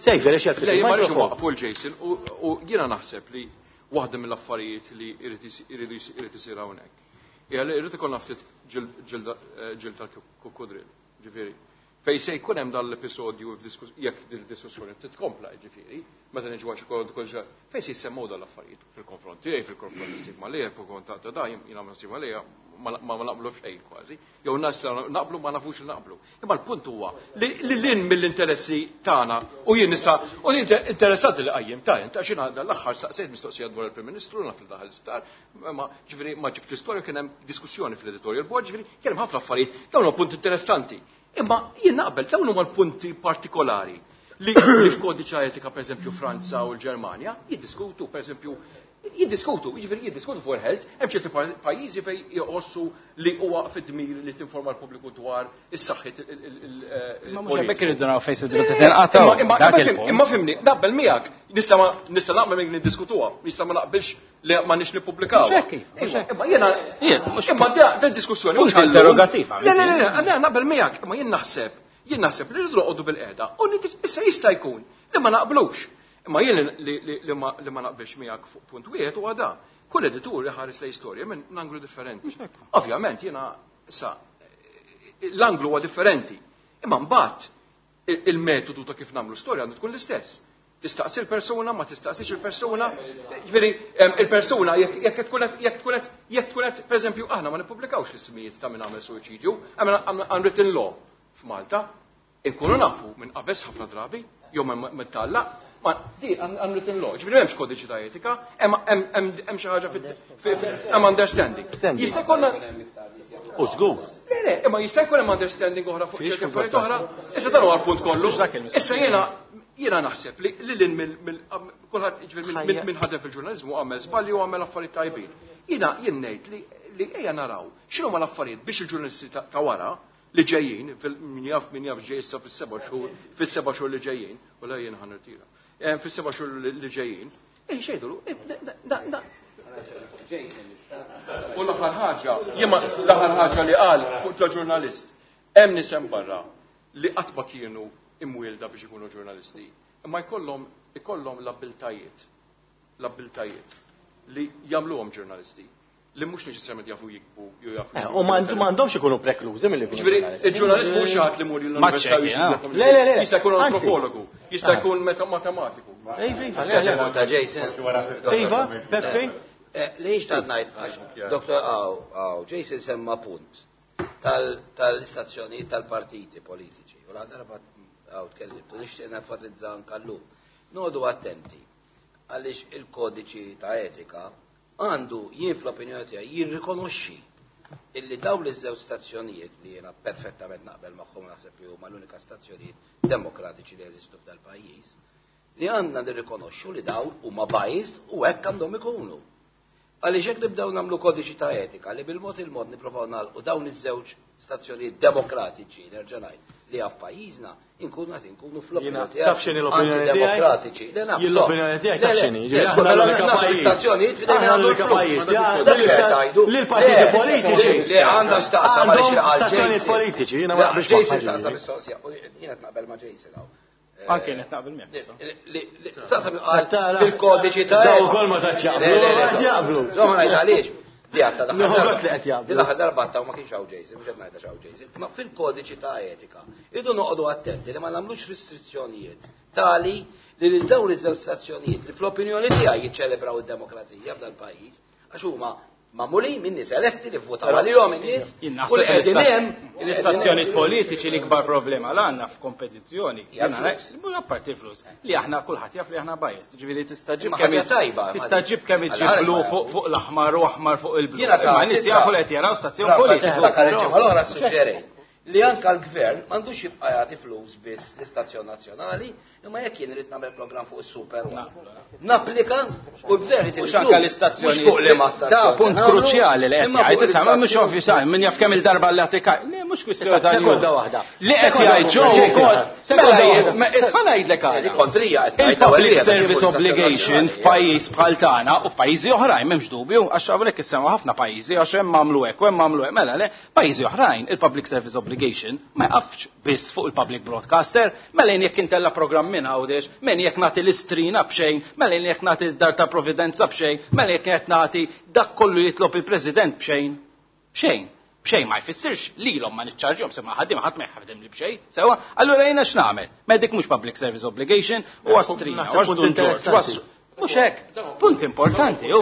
Sejfer, ix
Le, jien ma rridx waqfu l-Jason u u jiena naħseb li waħda mill-affarijiet li irid isi- irid isi- irid isir hawnhekk. Hija li irid ikollna ftit ġild tal-kukkudril, ġifieri. Fej se jkun hemm dan l-episodju f'diskus- jekk din id-diskussjoni titkompla, ġifieri, meta niġu għax kol kol fejn se jsemmew dan l-affarijiet fil-konfront tiegħi, fil-konfront ta' Steve Mallia, fil-konfront ta' da, jiena ma' Steve Mallia ma ma naqblu xejn kważi. Jew nas naqblu ma nafux li naqblu. Imma l-punt huwa li li lin mill-interessi tagħna u jien nista' u interessanti li qajjim ta' ta' xina l-aħħar staqsejt mistoqsija dwar il-Prim Ministru naf li daħal l-isptar, ma ġifieri ma ġibt l-istorja, kien hemm diskussjoni fl-editorial board, ġifieri kien hemm ħafna affarijiet, dawn huma punti interessanti. Imma jien naqbel dawn huma l-punti partikolari li li f'kodiċi etika, per eżempju, Franza u l-Ġermanja jiddiskutu, per eżempju, jiddiskutu, jiġifieri jiddiskutu fuq il-health, hemm ċerti pajjiżi fejn jħossu li huwa fid-dmir li tinforma l-pubbliku dwar is-saħħit.
Ma mhux hemmhekk irridu naraw fejn se tinqataw.
Imma
Dak il-punt.
Imma fimni, naqbel miegħek, nista' ma nista' naqbel miegħek niddiskutuha, nista' ma naqbilx li ma nix nippubblikaw.
Mhux hekk kif, mhux hekk.
Imma jiena
Jien, mhux
imma da da diskussjoni
Punt
mhux għallum.
interrogattiv,
Le, le, le, le, naqbel miegħek, imma jien naħseb, jien naħseb li rridu noqogħdu bil-qiegħda u nid- issa jista' jkun li ma naqblux. Imma jien li, li, li, ma, li ma naqbilx miegħek fuq punt wieħed huwa da. Kull editur iħares lejn storja minn anglu differenti. Ovvjament jiena sa l-anglu huwa differenti. Imma mbagħad il- il-metodu ta' kif nagħmlu storja għandu tkun l-istess. Tistaqsi l-persuna, ma tistaqsix il-persuna. Ġifieri, il-persuna jekk tkun qed jekk tkun qed jekk tkun qed pereżempju aħna ma nippubblikawx l-ismijiet ta' min għamel suwiċidju, hemm unwritten law f'Malta. Inkunu nafu minn qabeż ħafna drabi, jew minn tallaq, ma di unwritten law, ġifieri m'hemmx kodiċi ta' etika, hemm xi ħaġa hemm understanding. Jista' jkollna
U żgur.
Le, le, imma jista' jkun hemm understanding oħra fuq ċerti affarijiet oħra. Issa dan huwa l-punt kollu. Issa jiena jiena naħseb li lil mill kulħadd jiġifieri minn ħadem fil-ġurnaliżmu għamel żbalji u għamel affarijiet tajbin. Jiena jien ngħid li li ejja naraw x'inhuma l-affarijiet biex il-ġurnalisti ta' wara li ġejjin, min jaf min jaf ġej issa fis-seba' xhur, fis-seba' xhur li ġejjin, u la jien ħa nirtira. Fis-seba' xhur li ġejjin, xejdu U l-aħħar ħaġa, jiena l-aħħar ħaġa li qal fuq ta' ġurnalist, hemm nies hemm barra li qatt ma kienu imwielda biex ikunu ġurnalisti, imma jkollhom ikollhom l-abbiltajiet, l-abbiltajiet li jagħmluhom ġurnalisti li mhux neċessarjament jafu jikbu jew jafu.
U m'għandhomx ikunu preklużi milli jkunu.
Ġifieri, il-ġurnalist mhux xi ħadd li mur l-università.
Le, le, le.
Jista' jkun antropologu, jista' jkun matematiku.
Iva, iva, le,
Ta' Jason.
Iva, Peppi.
Li xtaqt ngħid, Doktor Aw, Aw, Jason semma punt tal-istazzjonijiet tal-partiti politiċi. U la darba għaw tkellimt, u nixtieq nenfasizza anke llum. Noqogħdu attenti għaliex il-kodiċi ta' etika għandu jien fl-opinjoni tiegħi jirrikonoxxi illi dawn iż-żewġ stazzjonijiet li jiena perfettament naqbel magħhom naħseb li huma l-unika stazzjonijiet demokratiċi li jeżistu f'dal-pajjiż, li għandna nirrikonoxxu li dawn huma biased u hekk għandhom ikunu. Għaliex hekk nibdew nagħmlu kodiċi ta' etika li bil-mod il-mod nipprovaw nagħlqu dawn iż-żewġ stazzjonijiet demokratiċi nerġa' ngħid li għaf pajjiżna inkunu qed inkunu fl-opinjoni
tiegħi. Taf x'inhi l-opinjoni
antidemokratiċi.
Tiegħi? Jien l-opinjoni tiegħi taf x'inhi. Aħna l-unika pajjiż.
Stazzjonijiet f'idejn
Aħna l-unika pajjiż. Li l-partiti politiċi.
Li għandha x'taqsam għaliex
Għandhom stazzjonijiet politiċi, jiena ma naqbilx
Jason
magħha.
saqsa mistoqsija, u jiena qed naqbel ma' Jason hawn.
Anke qed naqbel miegħek.
Saqsa qal fil-kodiċi ta'
Daw ukoll ma tantx jaqblu.
Le, le, le,
Qed jaqblu.
Żomma ngħid għaliex. Di għatta
Nieħu
l-aħħar
gost li qed jaqblu.
Din l-aħħar darba għatta u ma kienx hawn Jason, mhux qed ngħidha x'hawn Jason. Ma fil-kodiċi ta' etika irridu noqogħdu attenti li ma nagħmlux restrizzjonijiet tali li lil dawn iż-żewġ stazzjonijiet li fl-opinjoni tiegħi jiċċelebraw id-demokrazija f'dal pajjiż għax huma magħmulin minn nies eletti li vvotaw għalihom in-nies
Jien
u li
naħseb
qegħdin hemm
l-istazzjonijiet politiċi l-ikbar problema l għandna f'kompetizzjoni.
Hija
Jiena
l-flus.
ngħid, apparti l-flus, li aħna kulħadd jaf li aħna biased. Ġifieri tista' ġib
Imma
kemm
ħaġa tajba,
tista'
ma-
ġib kemm
Għal
iġib
ħares
blu
ma
fuq fuq l-aħmar u aħmar fuq il-blu.
Jiena sa-
Imma nies jafu li qed jaraw stazzjon politiku.
Dak il-ġimgħa l-oħra suġġerejt li anka l-gvern m'għandux jibqa' jagħti flus biss l-istazzjon nazzjonali, imma jekk jien irid nagħmel programm fuq is-Super One. Napplika u l-gvern irid
Mhux anke l-istazzjoni.
Mhux fuq liema stazzjon.
Da punt
nagħmlu,
kruċjali li qed
imma fuq
jgħid issa ma mhux
l-istazzjon.
ovvju sa min jaf kemm il-darba li għatika. Le mhux kwistjoni
Issa,
ta'
sekonda
news.
waħda.
Li qed
Sekonda
jgħid ġew
waħda.
ukoll.
Sekonda
Mela
waħda.
jien, ma- ħa ngħidlek
Di
għala.
kontrija qed ngħid
Il-public
ewwel
service obligation f'pajjiż bħal tagħna u f'pajjiżi oħrajn m'hemmx dubju, għax hawnhekk issemma ħafna pajjiżi għax hemm għamlu hekk u hemm għamlu hekk. Mela le, pajjiżi oħrajn il-public service obligation ma jqafx biss fuq il-public broadcaster, mela jien jekk intella programm minn Għawdex, minn jekk nagħti l-istrina b'xejn, mela jien jekk nagħti d-dar ta' Providenza b'xejn, mela jekk qed nagħti dak kollu jitlob il-President b'xejn. B'xejn. B'xejn ma jfissirx lilhom ma niċċarġihom se ma ħaddiem ħadd ma jħaddem li b'xejn. Sewwa, allura jiena x'nagħmel? Ma dik mhux public service obligation u għastrina,
Naħseb
għax
punt
Dun Ġorġ,
interessanti.
għas- Mhux hekk, punt importanti hu.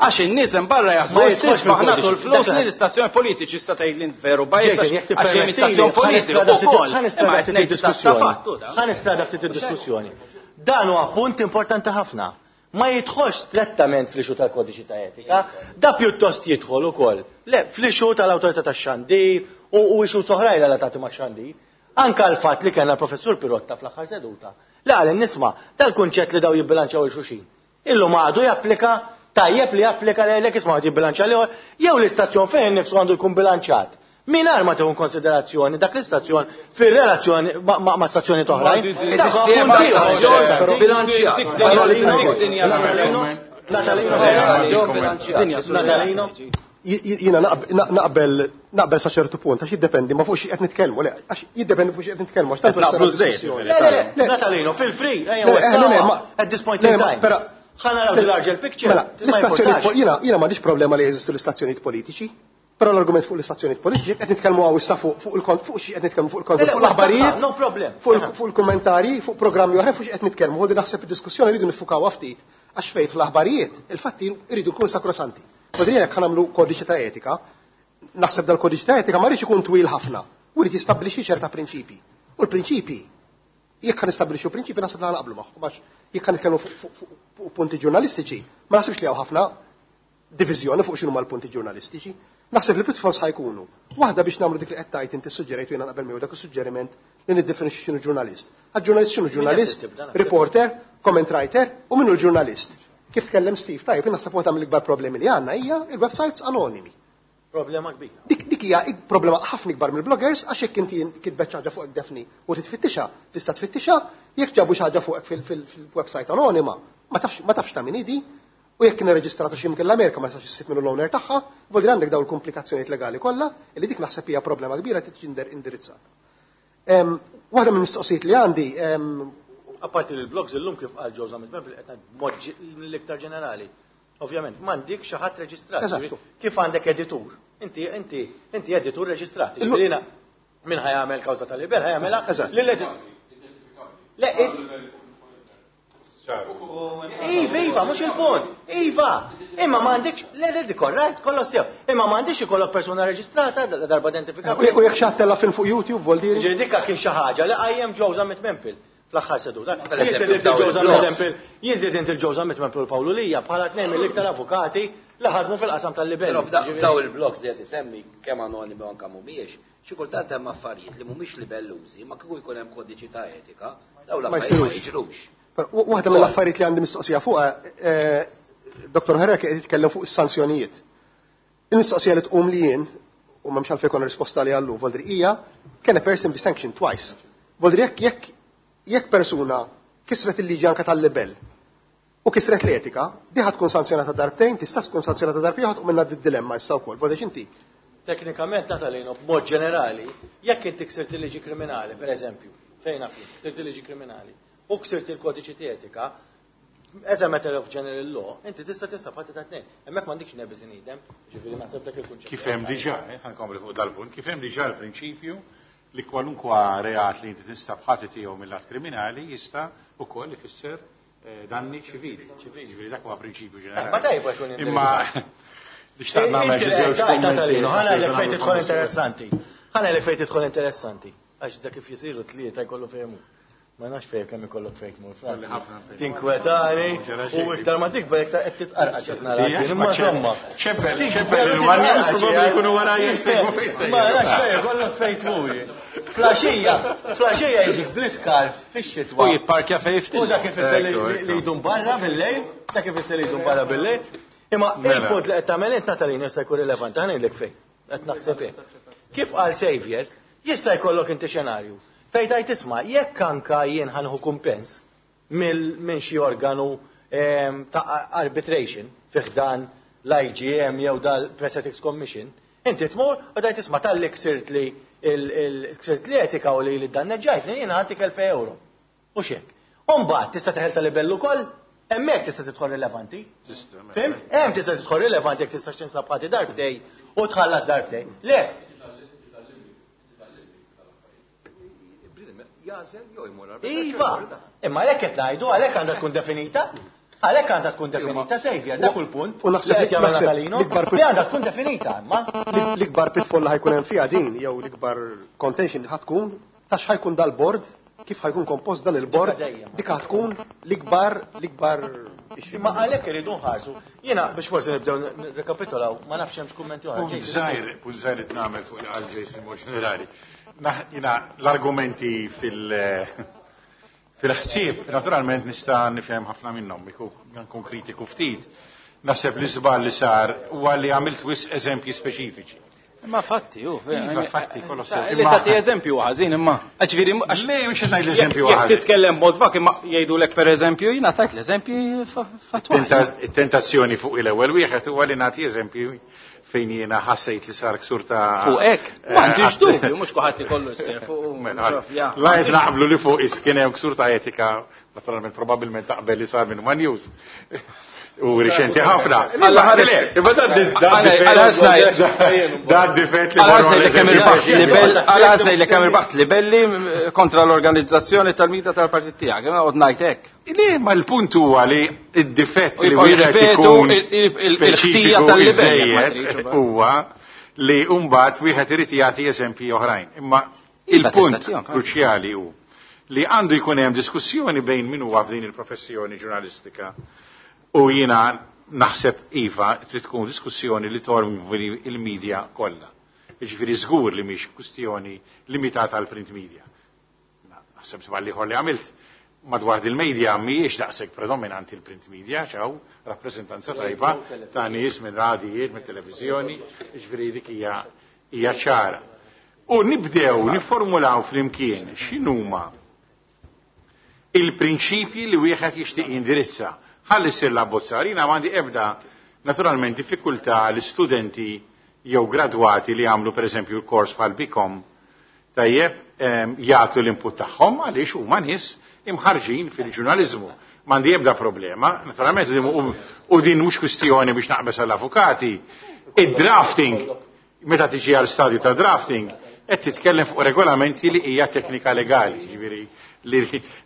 Għax in-nies hemm barra jaħsbu
Ma jidħolx
s aħna
fil-kodiċi.
tul flus
Dak-
li l-istazzjoni politiċi issa tgħid li int veru biased
Jason, jekk
għax hemm
tippermettili,
istazzjon politiku
ħa nistrada ftit-
ukoll.
ħa
Imma
nistrada
qed
ftit
ngħid sta
id-diskussjoni.
fattu da.
Ħa nistrada ftit id-diskussjoni. Dan huwa punt importanti ħafna. Ma jidħolx strettament fl-issue tal-kodiċi ta' etika, da pjuttost jidħol ukoll. Le, fl-issue tal-awtorità tax-xandir u u issues oħrajn relatati ma' xandir. Anka l-fatt li kellna professur Pirotta fl-aħħar seduta. Li qal nisma' tal-kunċett li daw jibbilanċaw il-xulxin. Illum għadu japplika tajjeb li japplika lejlek isma' għad jibbilanċa l jew l-istazzjon fejn nifsu għandu jkun bilanċat. Mingħajr ma tieħu konsiderazzjoni dak l-istazzjon fir-relazzjoni ma- ma ma' stazzjoni oħrajn. Dak huwa
Sistema
punt ieħor
stazzjon
interessanti.
bilanċjat.
Natalino, Natalino,
Stazzjon bilanċjat.
Natalino.
Jiena naqbel naqbel sa ċertu punt, għax jiddependi ma fuq xi qed nitkellmu, le, għax jiddependi fuq xi qed nitkellmu, għax tant
Qed naqblu żejt,
diskussjoni.
Le, le, le,
Le.
Natalino, feel free, ejja,
Le, le, le, ma-
at this point
le,
in
ma-
time.
però-
Ħa naraw the larger picture.
Mela,
Ma
l-istazzjoni
importax.
jiena jiena m'għandix problema li jeżistu l-istazzjonijiet politiċi. Però l-argument fuq l-istazzjonijiet politiċi qed nitkellmu hawn issa fuq fuq il-kont fuq xi qed nitkellmu fuq il-kont fuq l-aħbarijiet,
no problem.
Fuq il-kummentarji, fuq programmi oħra fuq xi qed nitkellmu. Hu naħseb id-diskussjoni rridu nifukawha ftit għax fejn fl-aħbarijiet il-fatti jridu jkunu sakrosanti. Vodri jekk nagħmlu kodiċi ta' etika, naħseb dal-kodiċi ta' etika ma rridx ikun twil ħafna u rrid jistabbilixxi ċerta prinċipi. U l-prinċipi jekk nistabbilixxu prinċipi naħseb li naqblu magħhom għax jekk nitkellmu fuq punti ġurnalistiċi, ma naħsibx li hawn ħafna diviżjoni fuq x'inhuma l-punti ġurnalistiċi. Naħseb li pitfalls ħajkunu. Waħda biex nagħmlu dik li qed tgħid inti suġġerejt u jiena naqbel miegħu dak is-suġġeriment li niddefinixxi x'inhu ġurnalist. Għal-ġurnalist x'inhu ġurnalist, reporter, comment writer u minnu l-ġurnalist. Kif tkellem Steve, tajjeb, jien naħseb waħda mill-ikbar problemi li għandna hija il-websites anonimi.
Problema kbira.
Dik dik hija problema ħafna ikbar mill-bloggers għax jekk inti kitbet xi ħaġa fuqek Daphne u titfittixha, tista' tfittixha, jekk ġabu xi ħaġa fuqek fil-website anonima, ma tafx ma tafx ta' min idi. U jekk kien irreġistrata xi mkien l-Amerika ma nistax issib minnu l-owner tagħha, vuol dire għandek dawn il-komplikazzjonijiet legali kollha, li dik naħseb hija problema kbira trid tiġi indirizzata. Waħda mill-mistoqsijiet li għandi,
apparti li l-blogs illum kif qal Joe Zammit Bempel qed mod l-iktar ġenerali. Ovvjament, m'għandek xi ħadd reġistrat. Kif għandek editur? Inti inti inti editur reġistrat. Ġifieri min ħajamel kawża tal-libel ħajamela lill-editur. Le, Iva, iva, mhux il-punt. Iva, imma m'għandekx, le, le, dik right, kollox sew. Imma m'għandix ikollok persuna reġistrata darba identifikata.
U jekk xi ħadd tella' film fuq YouTube, vuol dire?
Ġifieri dikka kien xi ħaġa li qajjem Joe Zammit Mempel fl-aħħar seduta. Jien Zammit Mempel, jien inti il-Joe Zammit Mempel Pawlu Lija bħala tnejn mill-iktar avukati li ħadmu fil-qasam tal-libel.
Però daw il-blogs li qed isemmi kemm anonimi u anke mhumiex, xi kultant hemm affarijiet li mhumiex libellużi, ma kieku jkun hemm kodiċi ta' etika, dawn l-affarijiet ma jiġrux.
Waħda mill-affarijiet li għandi mistoqsija fuqha, Dottor Herrera qed jitkellem fuq is-sanzjonijiet. Il-mistoqsija li tqum li jien, u m'hemmx għalfejn konna risposta li għallu, vuol dire hija, can a person be sanctioned twice? Vuol dire jekk jekk jekk persuna kisret il-liġi anke tal-libel u kisret l-etika, di ħad tkun sanzjonata darbtejn, tista' tkun sanzjonata darbtejn, ħad tqum minna d-dilemma issa wkoll. Vuol dire inti.
Teknikament, Natalino, b'mod ġenerali, jekk inti ksirt il-liġi kriminali, per eżempju, fejn naf ksirt il-liġi kriminali, u ksirt il-kodiċi ta' etika, as a matter of general law, inti tista' tinsab ħadd ta' tnejn. Hemmhekk m'għandikx ne bis in idem, ġifieri naħseb dak il-kunċett.
Kif hemm diġà, ħa nkompli fuq dal-punt, kif hemm diġà l-prinċipju li kwalunkwa reat li inti tinstab ħati tiegħu mill-att kriminali jista' ukoll ifisser danni ċivili. Ġifieri dak huwa prinċipju ġenerali.
Ma tajba jkun
Imma li xtaqt nagħmel xi żewġ kummenti.
Ħa ngħidlek fejn tidħol interessanti. Ħa ngħidlek fejn tidħol interessanti. Għax dak kif jisiru tlieta jkollu fejn. Ma nafx fejn kemm ikollok fejn tmur Franz. Tinkwetani u iktar ma tikber iktar qed titqarqax qed nara. Imma insomma.
Ċempel, ċempel il-one probabbli jkunu wara jsegwu fejn.
Ma nafx fejn ikollok fejn tmur. Flaxija, flaxija jiġik bl-iskarf fix-xitwa.
U jipparkja fejn ftit.
U dak ifisser li jdum barra bil-lejl, dak ifisser li jdum barra bil-lejl. Imma il-punt li qed tagħmel int Natalina jista' jkun rilevanti, ħa ngħidlek fejn. Qed naħseb hekk. Kif qal Xavier, jista' jkollok inti xenarju. Fejn tajt isma', jekk anka jien ħanħu kumpens minn xi organu ta' arbitration fi ħdan l-I G M jew dal-Press Ethics Commission, inti tmur u tajt isma' talli ksirt li ksirt li etika u li li danneġġajtni jiena ħantik elfej euro. U xek. U mbagħad tista' teħel ta' libellu ukoll, hemmhekk tista' tidħol rilevanti. Fimt? Hemm tista' tidħol rilevanti jekk tista' tinsab ħati darbtej u tħallas darbtej. Le. Iva, imma għalhekk qed ngħidu, għalhekk għandha tkun definita, għalhekk għandha tkun definita Xavier, dak kull punt.
U naħseb
li qed jagħmel
naħseb
Natalino,
l-ikbar
li għandha tkun definita, imma.
L-ikbar pitfall li ħajkun hemm fiha din jew l-ikbar contention li ħad tkun ta' x'ħajkun dal-bord, kif ħajkun kompost dan il-bord,
Dika dejjem.
dik tkun l-ikbar, l-ikbar issue.
Imma għalhekk iridu nħarsu. Jiena biex forsi nibdew nirrekapitolaw, ma nafx hemmx kummenti oħra.
Punt żgħir, punt żgħir li nagħmel fuq għal Jason mod ġenerali. Jiena l-argumenti fil-, fil-ħsieb, naturalment nista' nifhem ħafna minnhom, nkun kritiku ftit. Naħseb li żball li sar huwa li għamilt wisq eżempji speċifiċi.
Imma fatti, ju,
Iva, fatti, kollox sew.
Li tagħti eżempju ħażin imma. Ġifieri, għax
Le, mhux qed ngħid l-eżempju
jekk
ħażin.
titkellem mod vak, imma jgħidulek pereżempju, jiena tajt l-eżempji fa-, fatwali.
Tenta-, it-tentazzjoni fuq il-ewwel wieħed huwa li nagħti eżempju fejn jiena ħassejt li sar ksur ta'
Fuq hekk,
Eh,
m'għandix
għat-
dubju, mhux kulħadd ikollu jsir fuq u
Mela,
xaf, ja.
la qed naqblu li fuq is kien hemm ksur ta' etika Naturalment probabbilment taqbel li sar minn One News. U riċenti ħafna. Da difett li
Għal-ħasna li kemm irbaħt libelli kontra l-organizzazzjoni tal-mida tal-partit tiegħek, qed ngħid hekk.
Le, ma l-punt huwa li d-difett li wieħed ikun speċifiku iżejjed huwa li mbagħad wieħed irid jagħti eżempji oħrajn. Imma il-punt kruċjali hu li għandu jkun hemm diskussjoni bejn min huwa f'din il-professjoni ġurnalistika u jiena naħseb iva trid tkun diskussjoni li tormi il-medja kollha. Jiġifieri żgur li mhix kwistjoni limitata għal print media. Naħseb żball ieħor li għamilt madwar il-media mhijiex daqshekk predominanti l-print media, ċaw rappreżentanza tajba ta' nies minn radijiet, minn televiżjoni, jiġifieri dik hija hija ċara. U nibdew niformulaw flimkien x'inhuma il-prinċipji li wieħed jixtieq jindirizza. Ħalli ssir l-abbozzar, jiena m'għandi ebda naturalment diffikultà l-istudenti jew gradwati li għamlu pereżempju l-kors bħal BCom tajjeb jagħtu l-input tagħhom għaliex huma nies imħarġin fil-ġurnaliżmu. M'għandi ebda problema, naturalment u din mhux kwistjoni biex naqbes għall-avukati. Id-drafting, meta tiġi għal stadju ta' drafting, qed titkellem fuq regolamenti li hija teknika legali, jiġifieri li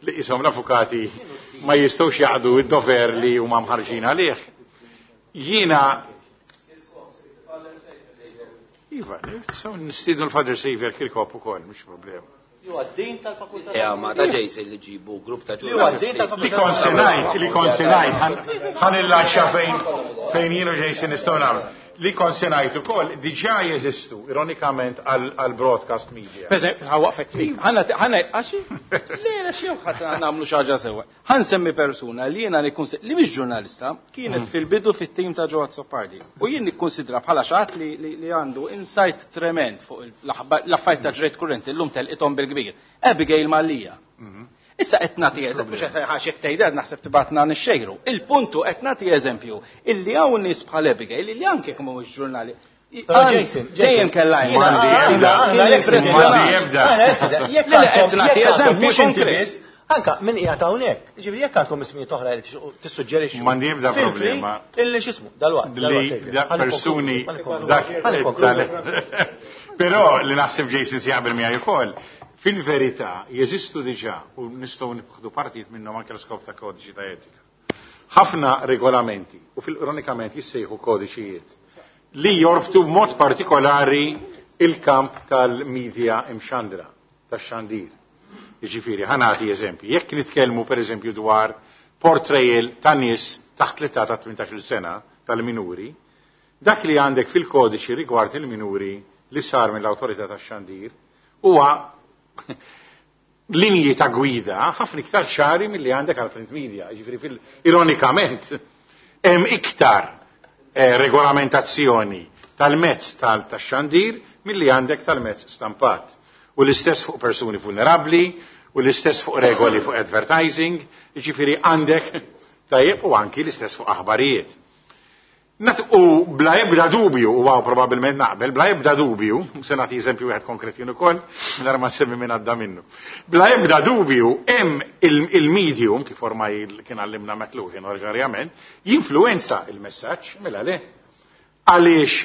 li isom l-avukati ma jistgħux jaqdu id-dover li huma mħarġin għalih. Jiena Iva, nistgħu nistiednu l-Father Xavier Kirkop ukoll, mhux problema.
Li għaddin tal-fakultà.
Ja, ma ta' Jason li ġibu grupp ta'
Li għaddin tal-fakultà.
Li konsenajt, li konsenajt, ħan il-lanċa fejn fejn jien u Jason nistgħu nagħmlu. Li konsenajt ukoll diġà jeżistu ironikament għal broadcast media.
Ħawaqfek fik. Ħanna ħanna għaxi? Le, le xi ħadd nagħmlu xi ħaġa sewwa. Ħansemmi persuna li jiena nikkonsidra li mhix ġurnalista, kienet fil-bidu fit-tim ta' Joe Azzopardi. U jien nikkonsidra bħala xi ħadd li għandu insight trement fuq l-affarijiet ta' ġrejt kurrenti llum telqithom bil-kbir. Abigail Mallia. Issa qed nagħti eżempju, mhux qed ħax qed tgħidha naħseb tibatna nixxejru. Il-puntu qed nagħti eżempju illi hawn nies bħal Abigail illi anke jekk mhuwiex ġurnali.
Jason,
dejjem kellha
M'għandi ebda.
Jekk
qed nagħti eżempju
mhux inti biss, anka min qiegħed hawnhekk. Jiġifieri jekk għandkom ismijiet oħra li tissuġġerixxu.
M'għandi ebda problema.
Illi x'ismu, dalwaqt.
Li persuni dak. Però li naħseb Jason se jaqbel miegħi ukoll. Fil-verità, jeżistu diġà u nistgħu nieħdu partijiet minnhom anke l-skop ta' kodiċi ta' etika. Ħafna regolamenti u fil-ironikament jissejħu kodiċijiet li jorbtu b'mod partikolari il-kamp tal-medja imxandra, tax-xandir. Jiġifieri, ħa nagħti eżempji. Jekk nitkellmu pereżempju dwar portrayal ta' nies taħt l-età ta' tmintax-il sena tal-minuri, dak li għandek fil-kodiċi rigward il-minuri li sar mill-awtorità tax-xandir huwa linji ta' gwida ħafna iktar ċari milli għandek għal print media. Jiġifieri fil ironikament hemm iktar eh, regolamentazzjoni tal-mezz tal-xandir milli għandek tal-mezz stampat. U l-istess fuq persuni vulnerabbli, u l-istess fuq regoli fuq advertising, jiġifieri għandek tajjeb u anki l-istess fuq aħbarijiet. U bla ebda dubju, u għaw probabilment naqbel, bla ebda dubju, se nagħti eżempju wieħed konkret jien ukoll, mingħajr ma nsemmi minn għadda minnu. Bla ebda dubju, hemm il-medium, kif ormai kien għallimna McLuhan oriġinarjament, jinfluwenza il-messaġġ, mela le. Għaliex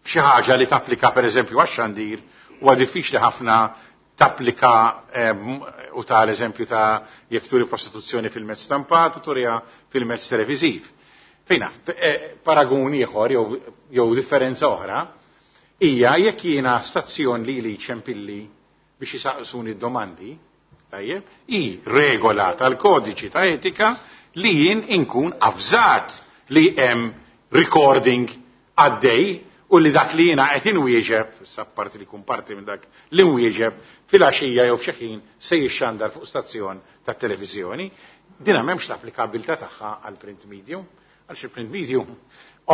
xi ħaġa li tapplika pereżempju għax-xandir huwa diffiċli ħafna tapplika u ta' l-eżempju ta' jekk turi prostituzzjoni fil-mezz stampat u turiha fil-mezz televiżiv. Fejna, paragun ieħor jew differenza oħra hija jekk jiena stazzjon li li ċempilli biex jisaqsuni d-domandi, tajjeb, hi regola tal-kodiċi ta' etika li jien inkun avżat li hemm recording għaddej u li dak li jiena qed inwieġeb, issa parti li kun parti minn dak li nwieġeb fil-għaxija jew f'xi ħin se jixxandar fuq stazzjon tat-televiżjoni, dina m'hemmx l-applikabilità tagħha għal print medium. Għalx il-print medium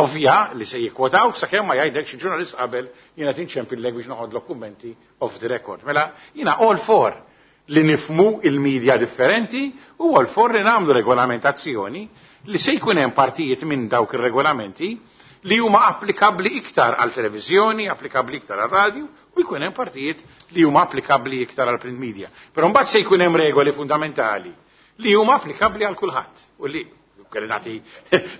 ovvja li se jikkwotawk sakemm ma jgħidlek xi ġurnalist qabel jiena tinċempillek biex noħodlok kummenti off the record. Mela jiena all for li nifmu il-media differenti u all for li nagħmlu regolamentazzjoni li se jkun hemm partijiet minn dawk ir-regolamenti li huma applikabbli iktar għal televiżjoni, applikabbli iktar għal radio u jkun hemm partijiet li huma applikabbli iktar għal print media. Però mbagħad se jkun hemm regoli fundamentali li huma applikabbli għal kulħadd. U li kelli nagħti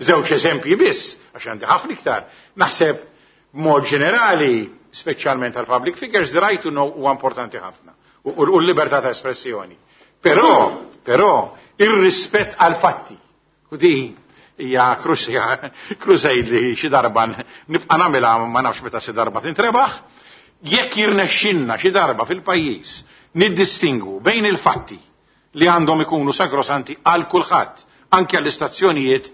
żewġ eżempji biss, għax għandi ħafna iktar. Naħseb b'mod ġenerali, speċjalment għal public figures, the right to know huwa importanti ħafna. U l-libertà ta' espressjoni. Però, però, ir-rispett għal fatti. U di hija crusade li xi darba nibqa' nagħmilha ma nafx meta xi darba tintrebaħ. Jekk jirnexxinna xi darba fil-pajjiż niddistingwu bejn il-fatti li għandhom ikunu sagrosanti għal kulħadd, anke għall-istazzjonijiet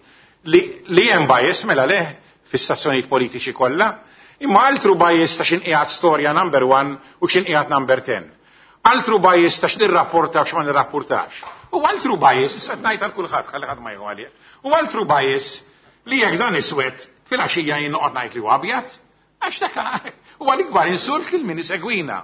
li, li hemm bias mela le fis-stazzjonijiet politiċi kollha, imma altru bias ta' x'inqiegħed storja number one u x'inqiegħed number ten. Altru bias ta' x'nirrapporta u x'ma nirrapportax. U altru bias, issa ngħid għal kulħadd ħalli ħadd ma jieħu għalih. U altru bias li jekk dan iswed fil-għaxija jien noqgħod ngħid li huwa abjad, għax dak huwa l-ikbar insult lil min isegwina.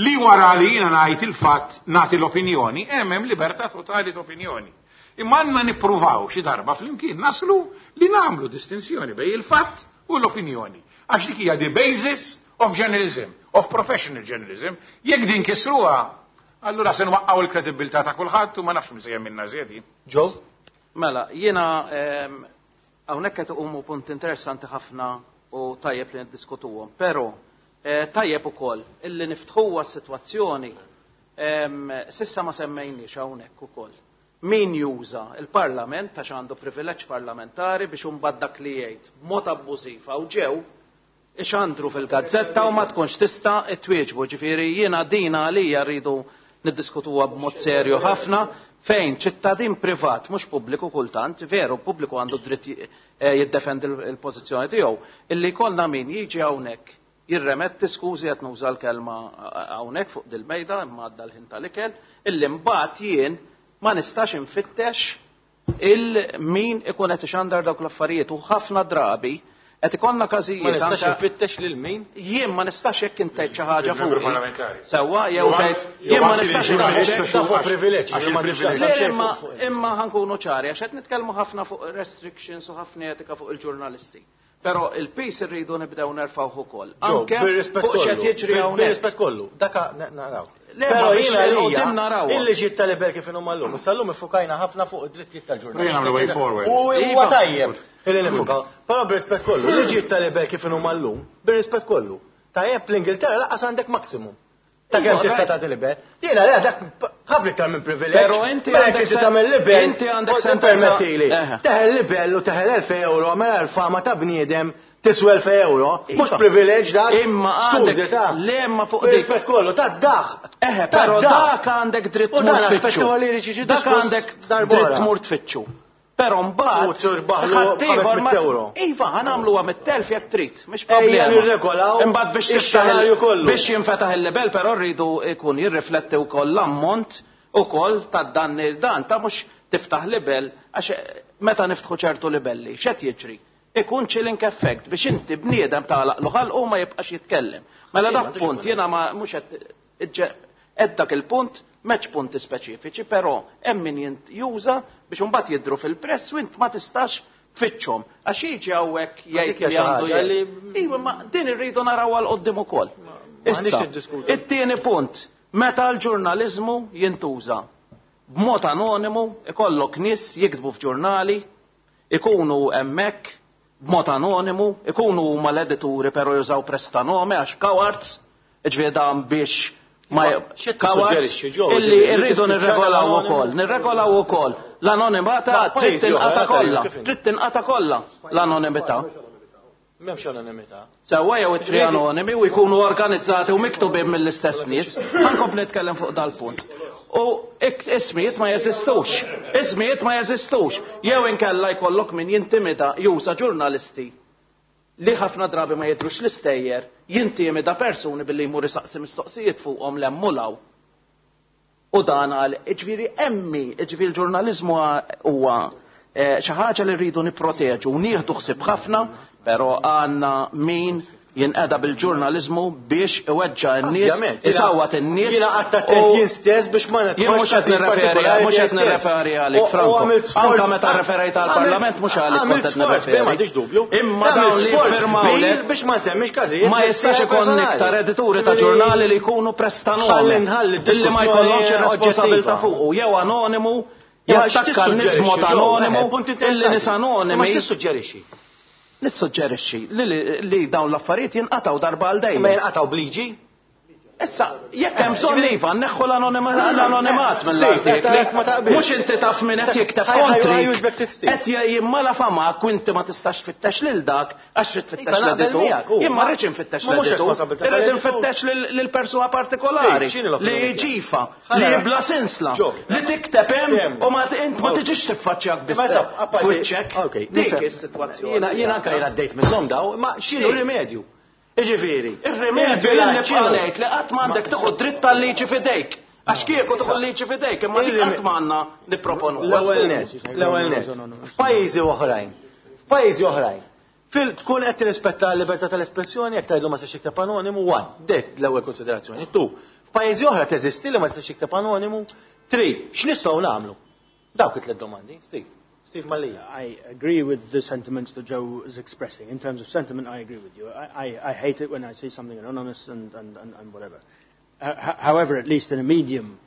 Li wara li jiena ngħid il-fatt nagħti l-opinjoni, hemm hemm libertà totali ta' opinjoni. Imma għandna nippruvaw xi darba flimkien naslu li nagħmlu distinzjoni bejn il-fatt u l-opinjoni. Għax dik hija the basis of journalism, of professional journalism. Jekk din kisruha, allura se nwaqqgħu l-kredibilità ta' kulħadd u ma nafx min se jemminna żiedi.
Joe?
Mela, jiena hawnhekk qed iqumu punt interessanti ħafna u tajjeb li niddiskutuhom, però tajjeb ukoll illi niftħuha s-sitwazzjoni sissa ma semmejniex hawnhekk ukoll. Min juża il-Parlament għax għandu privileġġ parlamentari biex imbagħad dak li jgħid b'mod abbużiv hawn ġew ixandru fil-gazzetta u ma tkunx tista' twieġbu. Ġifieri jiena dina għalija rridu niddiskutuha b'mod serju ħafna fejn ċittadin privat, mhux pubbliku kultant, veru pubbliku għandu dritt jiddefendi l-pożizzjoni tiegħu, illi jkollna min jiġi hawnhekk jirremetti, skużi qed nuża l-kelma hawnhekk fuq dil-mejda imma għadda l-ħin tal-ikel, illi mbagħad jien ma nistax infittex il-min ikun qed ixandar dawk l-affarijiet u ħafna drabi qed ikollna każijiet.
Ma nistax infittex lil min?
Jien ma nistax jekk int tgħid xi ħaġa fuq. Sewwa jew tgħid jien ma nistax
infittex fuq privileġġ.
Imma imma ħankunu ċari għax qed nitkellmu ħafna fuq restrictions u ħafna etika fuq il-ġurnalisti. Però il-pis irridu nibdew nerfgħuh ukoll.
Anke fuq x'qed jiġri hawnhekk. Bir-rispett kollu, daka naraw. Però jiena għalija il-liġijiet tal-libel kif inhuma llum, issa llum iffukajna ħafna fuq id-drittijiet tal-ġurnalisti. U huwa tajjeb illi nifukaw. Però bir-rispett kollu, il-liġijiet tal-libel kif inhuma llum, bir-rispett kollu. Tajjeb l-Ingilterra lanqas għandek maximum. Ta' kemm tista' tagħti libel. Jiena le dak ħafna iktar minn privileġġ.
Però inti għandek
tagħmel libel,
inti għandek sentenza.
Teħel libel u teħel elf euro, mela l-fama ta' bniedem tiswa elf euro, mhux privileġġ dak.
Imma għandek le imma fuq dik.
Rispett kollu ta' daħ.
Eħe, però dak għandek dritt
tmur tfittxu.
Dak għandek dritt tmur tfittxu. Però mbagħad
ħaddieħor ma
iva ħa nagħmluha mit-telf jekk trid, mhix problema. Imbagħad biex tiftaħ biex jinfetaħ il-libel però rridu jkun jirrifletti wkoll l-ammont ukoll tad-danni dan ta' mhux tiftaħ libel għax meta niftħu ċertu libelli x'qed jiġri? Ikun chilling effect biex inti bniedem tagħlaq ħalqu ma jibqax jitkellem. Mela dak punt jiena ma mhux qed dak il-punt m'hemmx punti speċifiċi, però hemm min juża biex imbagħad jidhru fil-press u int ma tistax tfittxhom. Għax jiġi hawnhekk jgħid li għandu jgħid. Iva, ma din irridu naraw għal quddiem ukoll. Issa, it-tieni punt, meta l-ġurnaliżmu jintuża b'mod anonimu, ikollok nies jiktbu f'ġurnali, ikunu hemmhekk b'mod anonimu, ikunu huma l-edituri però jużaw prestanome għax cowards, ġifieri dan biex ma cowards illi rridu nirregolaw ukoll, nirregolaw ukoll l-anonimità trid tinqata' kollha, trid tinqata' kollha l-anonimità.
M'hemmx anonimità.
Sewwa jew it-tri anonimi u jkunu organizzati u miktubin mill-istess nies, ħankompli nitkellem fuq dal-punt. U ismijiet ma jeżistux, ismijiet ma jeżistux. Jew inkella jkollok min jintimida juża ġurnalisti li ħafna drabi ma jidhrux l-istejjer, jintimida persuni billi jmur isaqsi mistoqsijiet fuqhom lemmulaw. U dan għal, ġifieri emmi, ġifieri l-ġurnaliżmu huwa xi ħaġa li rridu nipproteġu u nieħdu ħsieb ħafna, però għandna min jinqeda bil-ġurnaliżmu biex iweġġa' n-nies, isawwat in-nies.
Jiena qatt attent jien stess biex ma
Jien mhux qed nirreferi, mhux qed nirreferi għalik, Franco. Anke meta rreferejt għall-Parlament mhux għalik kont qed nirreferi.
M'għandix dubju.
Imma dawn li jiffirmaw
biex ma nsemmix każijiet.
Ma jistax ikun iktar edituri ta' ġurnali li jkunu prestanome. Illi ma jkollhomx ir-responsabilità fuqu, jew anonimu, Jattakka n-nies b'mod anonimu, illi nies anonimi.
Ma x'tissuġġerixxi?
Nissuġġerixxi li dawn l-affarijiet jinqatgħu darba għal dejjem.
Ma jinqatgħu bliġi?
Issa, jekk hemm bżonn iva, nneħħu l-anonimat mill-artikli. Mhux inti taf min qed jikteb kontrik. Qed jimmala famak u inti ma tistax tfittex lil dak għax trid tfittex l-editur. Jien ma rridx infittex l-editur. Irrid infittex lil persuna partikolari li ġifa, li bla sinsla, li tikteb hemm u ma int ma tiġix tiffaċċjak biss. F'wiċċek. Dik is-sitwazzjoni.
Jiena anke jien għaddejt minnhom daw, ma x'inhu r-rimedju? Iġifieri,
ir-rimedju li ngħid li qatt m'għandek tieħu dritt tal-liġi f'idejk. Għax kieku tieħu l-liġi f'idejk, imma dik qatt m'għandna nipproponu.
L-ewwel nett, l-ewwel nett. F'pajjiżi oħrajn, f'pajjiżi oħrajn, fil tkun qed tirrispetta l-libertà tal-espressjoni jekk tgħidlu ma tistax jikteb anonimu, one, dik l-ewwel konsiderazzjoni. Two, f'pajjiżi oħra teżisti li ma tistax jikteb anonimu. Three, x'nistgħu nagħmlu? Dawk it-tliet domandi, Steve. Steve Mallia.
I agree with the sentiments that Joe is expressing. In terms of sentiment, I agree with you. I, I, I hate it when I see something anonymous and, and, and, and whatever. Uh, however, at least in a medium,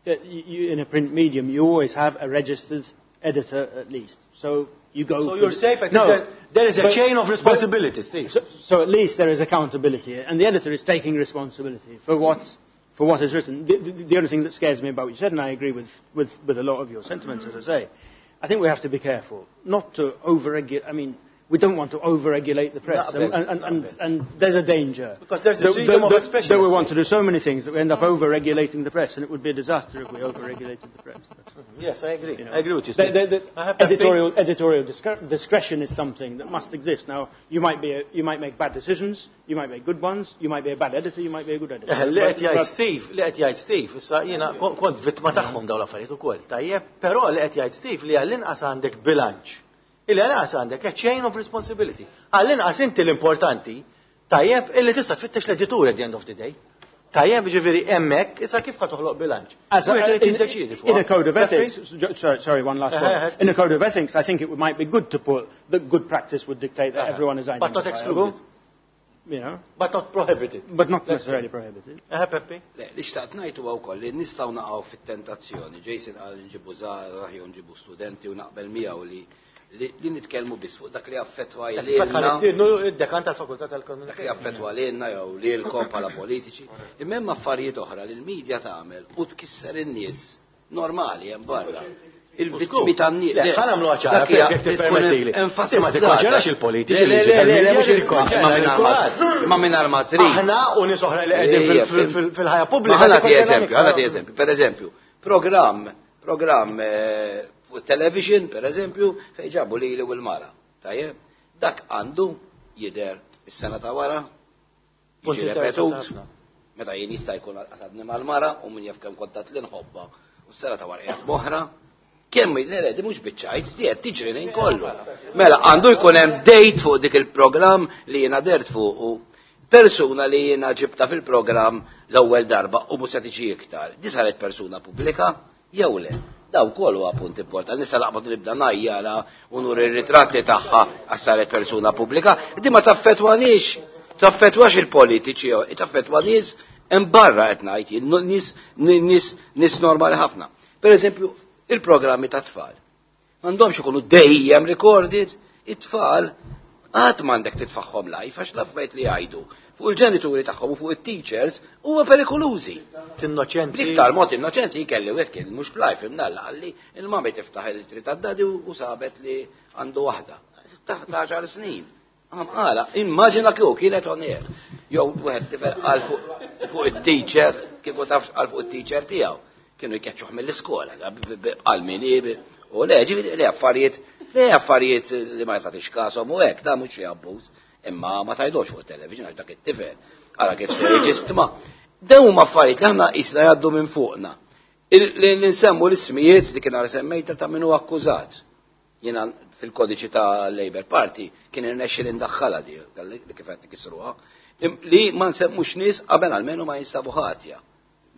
uh, you, in a print medium, you always have a registered editor at least. So you go.
So you're safe. At
no,
there, there is a
but,
chain of responsibility, Steve.
So, so at least there is accountability, and the editor is taking responsibility for what's. for what is written. The, the, the only thing that scares me about what you said, and I agree with, with, with a lot of your sentiments, as I say, I think we have to be careful not to over-regulate. I mean, we don't want to over-regulate the press. And, and, and, and there's a danger.
Because there's the freedom of expression.
That we want to do so many things that we end up over-regulating the press, and it would be a disaster if we over-regulated the press. That's,
yes, I agree.
You know,
I agree with you,
Steve. The, the, the editorial, editorial discretion is something that must exist. Now, you might, be a, you might make bad decisions, you might make good ones, you might be a bad editor, you might be a good editor.
Li qed jgħid Steve, li qed jgħid Steve, issa jiena kont vittma tagħhom dawn l-affarijiet ukoll, tajjeb, però li qed jgħid Steve li għall-inqas għandek bilanċ. Illi għal-inqas għandek a chain of responsibility. Għall-inqas inti l-importanti, tajjeb, illi tista' tfittex l-editur at the end of the day. Tajjeb, ġifieri hemmhekk, issa kif ħa toħloq bilanċ?
In a code of ethics, sorry, sorry, one last one. In a code of ethics, I think it might be good to put that good practice would dictate that everyone is identifiable.
But not excluded.
You know?
But not prohibited.
But not necessarily prohibited.
Eh, Peppi?
Le, li xtaqt ngħid huwa wkoll li nistgħu naqgħu fit-tentazzjoni. Jason qal nġibu żgħażagħ jew nġibu studenti u naqbel miegħu li li nitkellmu biss fuq dak li affettwa lilna.
Id-dekan tal-fakultà tal-komunità.
Dak li affettwa lilna jew lilkom bħala politiċi. Imma hemm affarijiet oħra li l-medja tagħmel u tkisser in-nies normali hemm barra. Il-vittmi tan-nies.
Le, ħa nagħmluha ċara, jekk tippermettili. Ma tikkonċernax il-politiċi.
Le, le, le, le, mhux il-konċerna. Ma mingħajr ma trid.
Aħna u nies oħra li qegħdin fil-ħajja pubblika.
Ħa nagħti eżempju, ħa nagħti eżempju. Per eżempju, programm, programm fuq television, per eżempju, fejn ġabu lili u l-mara. Tajjeb, dak għandu jidher is-sena ta' wara, jiġi repetut, meta jien jista' jkun qasadni mal-mara u min jaf kemm kontat li nħobba u s-sena ta' wara qiegħed b'oħra. Kemm le le, di mhux biċċajt, di qed tiġri lejn kollu. Mela għandu jkun hemm date fuq dik il-programm li jiena dert fuq u persuna li jiena ġibta fil-programm l-ewwel darba u mhux se tiġi iktar. Di saret persuna pubblika jew le. Daw kol huwa punt importanti. Nista' naqbad nibda ngħajjara u nuri r-ritratti tagħha għax saret persuna pubblika. Di ma taffettwanix, taffettwax il-politiċi, taffettwa nies hemm barra qed ngħid jien, nies nies nies normali ħafna. Per eżempju, il-programmi ta' tfal. M'għandhomx ikunu dejjem recorded, it-tfal qatt m'għandek titfaħħom live għax l-affarijiet li jgħidu fuq il-ġenituri tagħhom u fuq it-teachers huwa perikolużi.
Innoċenti.
Bl-iktar mod innoċenti jkelli wieħed kien mhux live imnalla qalli il-mami tiftaħ il-tri tad-dadi u sabet li għandu waħda. Taħt għaxar snin. Għala, immaġina kieku kienet on air. Jew wieħed tifel qal fuq it-teacher, kieku tafx qal fuq it-teacher tiegħu. Kienu jkeċċuh mill-iskola, qal min u le, ġifieri le affarijiet, le affarijiet li ma jagħtix kasom u hekk, da mhux xi abbuż. Imma ma tajdux fuq television għax dak it-tifel. Ara kif se jiġi stma. Dawn huma affarijiet li aħna qisna jgħaddu minn fuqna. Li nsemmu l-ismijiet li kien semmejta ta' min hu akkużat. Jiena fil-kodiċi ta' Labour Party kien irnexxi li ndaħħalha di, li kif qed nikisruha, li ma nsemmux nies qabel almenu ma jinstabu ħatja.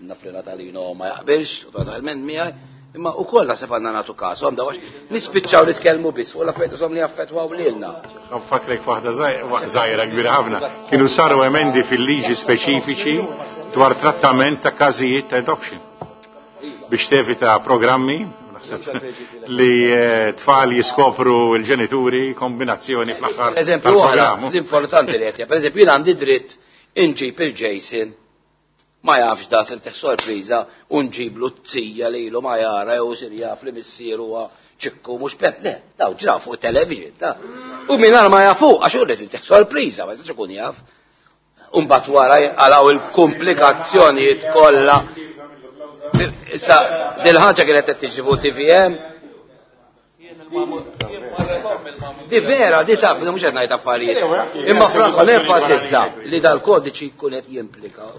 Naf li Natalino ma jaqbilx, totalment miegħi, imma wkoll naħseb għandna nagħtu kasu, għam dawax nispiċċaw nitkellmu biss fuq l-affarijiet li affettwaw lilna.
Nfakrek waħda żgħira kbira ħafna. Kienu saru emendi fil-liġi speċifiċi dwar trattament ta' każijiet ta' adoption. Biex tevita programmi, naħseb li tfal jiskopru l-ġenituri kombinazzjoni fl-aħħar.
Eżempju oħra, l-importanti li qed, pereżempju jien għandi dritt inġib il-Jason ma jafx da se teħ sorpriża u nġiblu t-tija lilu ma jara jew sir jaf li missieru huwa ċikku mhux pep, le, daw ġraw fuq television ta' u mingħajr ma jafu għax hu li teħ sorpriża ma jistax ikun jaf. U mbagħad wara jinqalgħu il-komplikazzjonijiet kollha. Issa dil-ħaġa kienet qed tiġi fuq T V M. Di vera, di ta' mhux qed ngħid affarijiet. Imma Franco nenfasizza li dal-kodiċi jkun qed jimplika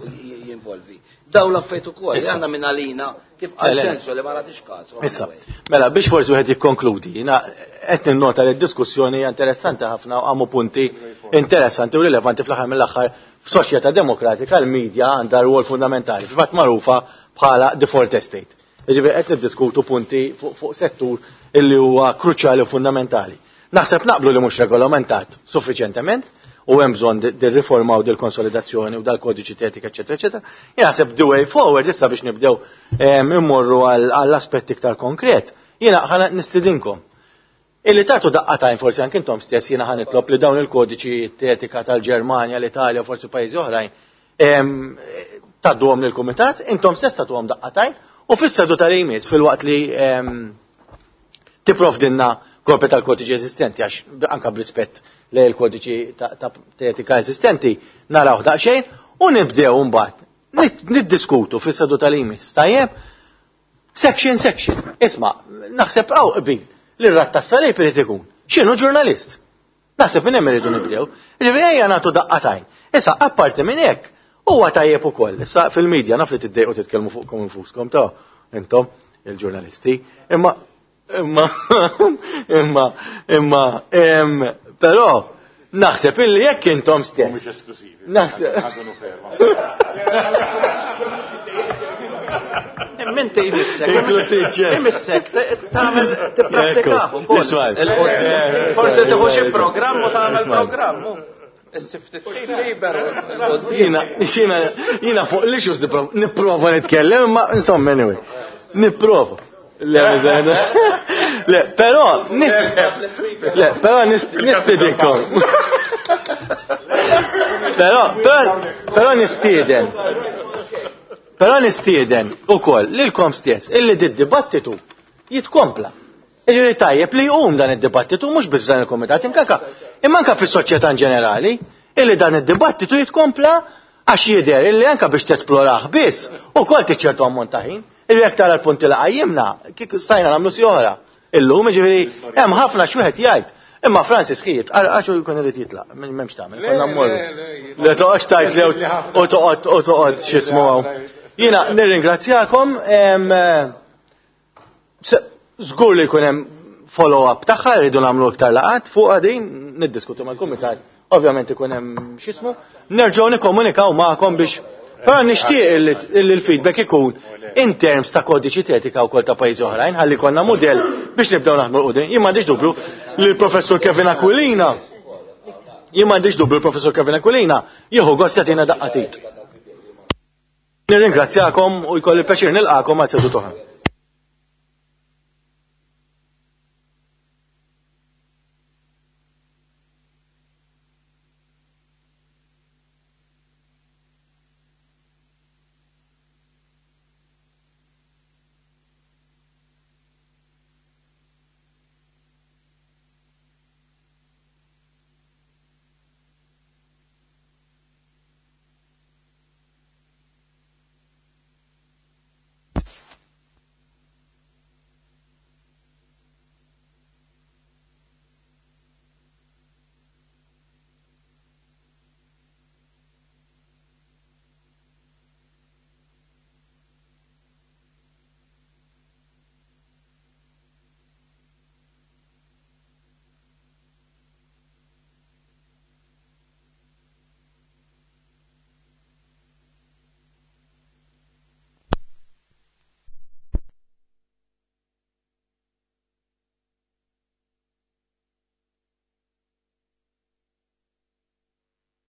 jinvolvi. Daw l-affarijiet ukoll, għandna minn għalina kif qal Ċensu li ma nagħtix każ.
Issa, mela biex forsi wieħed jikkonkludi, jiena qed ninnota li d-diskussjoni hija interessanti ħafna u għamu punti interessanti u rilevanti fl-aħħar mill-aħħar f'soċjetà demokratika l-medja għandha rwol fundamentali, fil-fatt magħrufa bħala the fourth estate. Jiġifieri qed niddiskutu punti fuq settur illi huwa kruċjali u fundamentali. Naħseb naqblu li mhux regolamentat suffiċjentement u hemm bżonn dir-riforma u dil-konsolidazzjoni u dal-kodiċi etika, eċetera, eċetera. Jien naħseb the way forward issa biex nibdew immorru għall-aspett iktar konkret, jiena ħa nistidinkom. Illi tagħtu daqqa tajn forsi anke intom stess jiena ħa nitlob li dawn il-kodiċi etika tal-Ġermanja, l-Italja u forsi pajjiżi oħrajn tgħadduhom lill-kumitat, intom stess tagħtuhom daqqa tajn u fis-seduta li jmiss filwaqt li tipprovdilna kopja tal-kodiċi eżistenti għax anke b'rispett lejn il-kodiċi ta' etika eżistenti naraw daqsxejn u nibdew mbagħad niddiskutu fis-seduta li jmiss. Tajjeb? Section, section. Isma', naħseb hawn qbil li r-rat tas-salib irid ikun. X'inhu ġurnalist? Naħseb minn hemm irridu nibdew. Jiġifieri ejja nagħtu daqqa tajn. Issa apparti minn hekk huwa tajjeb ukoll. Issa fil-medja naf li tiddejqu titkellmu fuqkom infuskom ta' intom il-ġurnalisti. Imma imma imma imma però naħseb illi jekk intom stess.
Mhux esklusivi.
Naħseb.
Minti jmissek. Jmissek, tagħmel tipprattikah ukoll. Forsi tieħu xi programm u tagħmel programm.
Jiena jiena jiena fuq l-issues nipprova nitkellem, imma insomma anyway. Nipprova. Le, le, però le, però nistidinkom. Però, però nistieden. Però nistieden ukoll lilkom stess illi d-dibattitu jitkompla. Jiġifieri tajjeb li jqum dan id-dibattitu mhux biss f'dan il-kumitat inkaka, imma anke fis-soċjetà in ġenerali, illi dan id-dibattitu jitkompla għax jidher illi anke biex tesplorah biss ukoll tiċċertu ammont ta' ħin. Illi jekk tara l-punti li qajjimna, kieku stajna nagħmlu si oħra. Illum jiġifieri hemm ħafna x'wieħed jgħid. Imma Francis ħiet, għax hu jkun irid jitlaq, m'hemmx tagħmel, konna mmorru. Le toqgħodx tgħid li u toqgħod u toqgħod x'ismu hawn. Jiena nirringrazzjakom, żgur li jkun hemm follow-up tagħha, rridu nagħmlu iktar laqat fuq din, niddiskutu mal-kumitat. Ovvjament ikun hemm x'ismu, nerġgħu nikkomunikaw magħkom biex però nixtieq illi l-feedback ikun in terms ta' kodiċi etika wkoll ta' pajjiżi oħrajn, ħalli konna mudell biex nibdew naħdmu l qudiem. Jien m'għandix dubju li l-professur Kevin Aquilina, jien m'għandix dubju l-professur Kevin Aquilina jieħu gost jagħtina daqqa tit. Nirringrazzjakom u jkolli pjaċir nilqakom għal seduta oħra.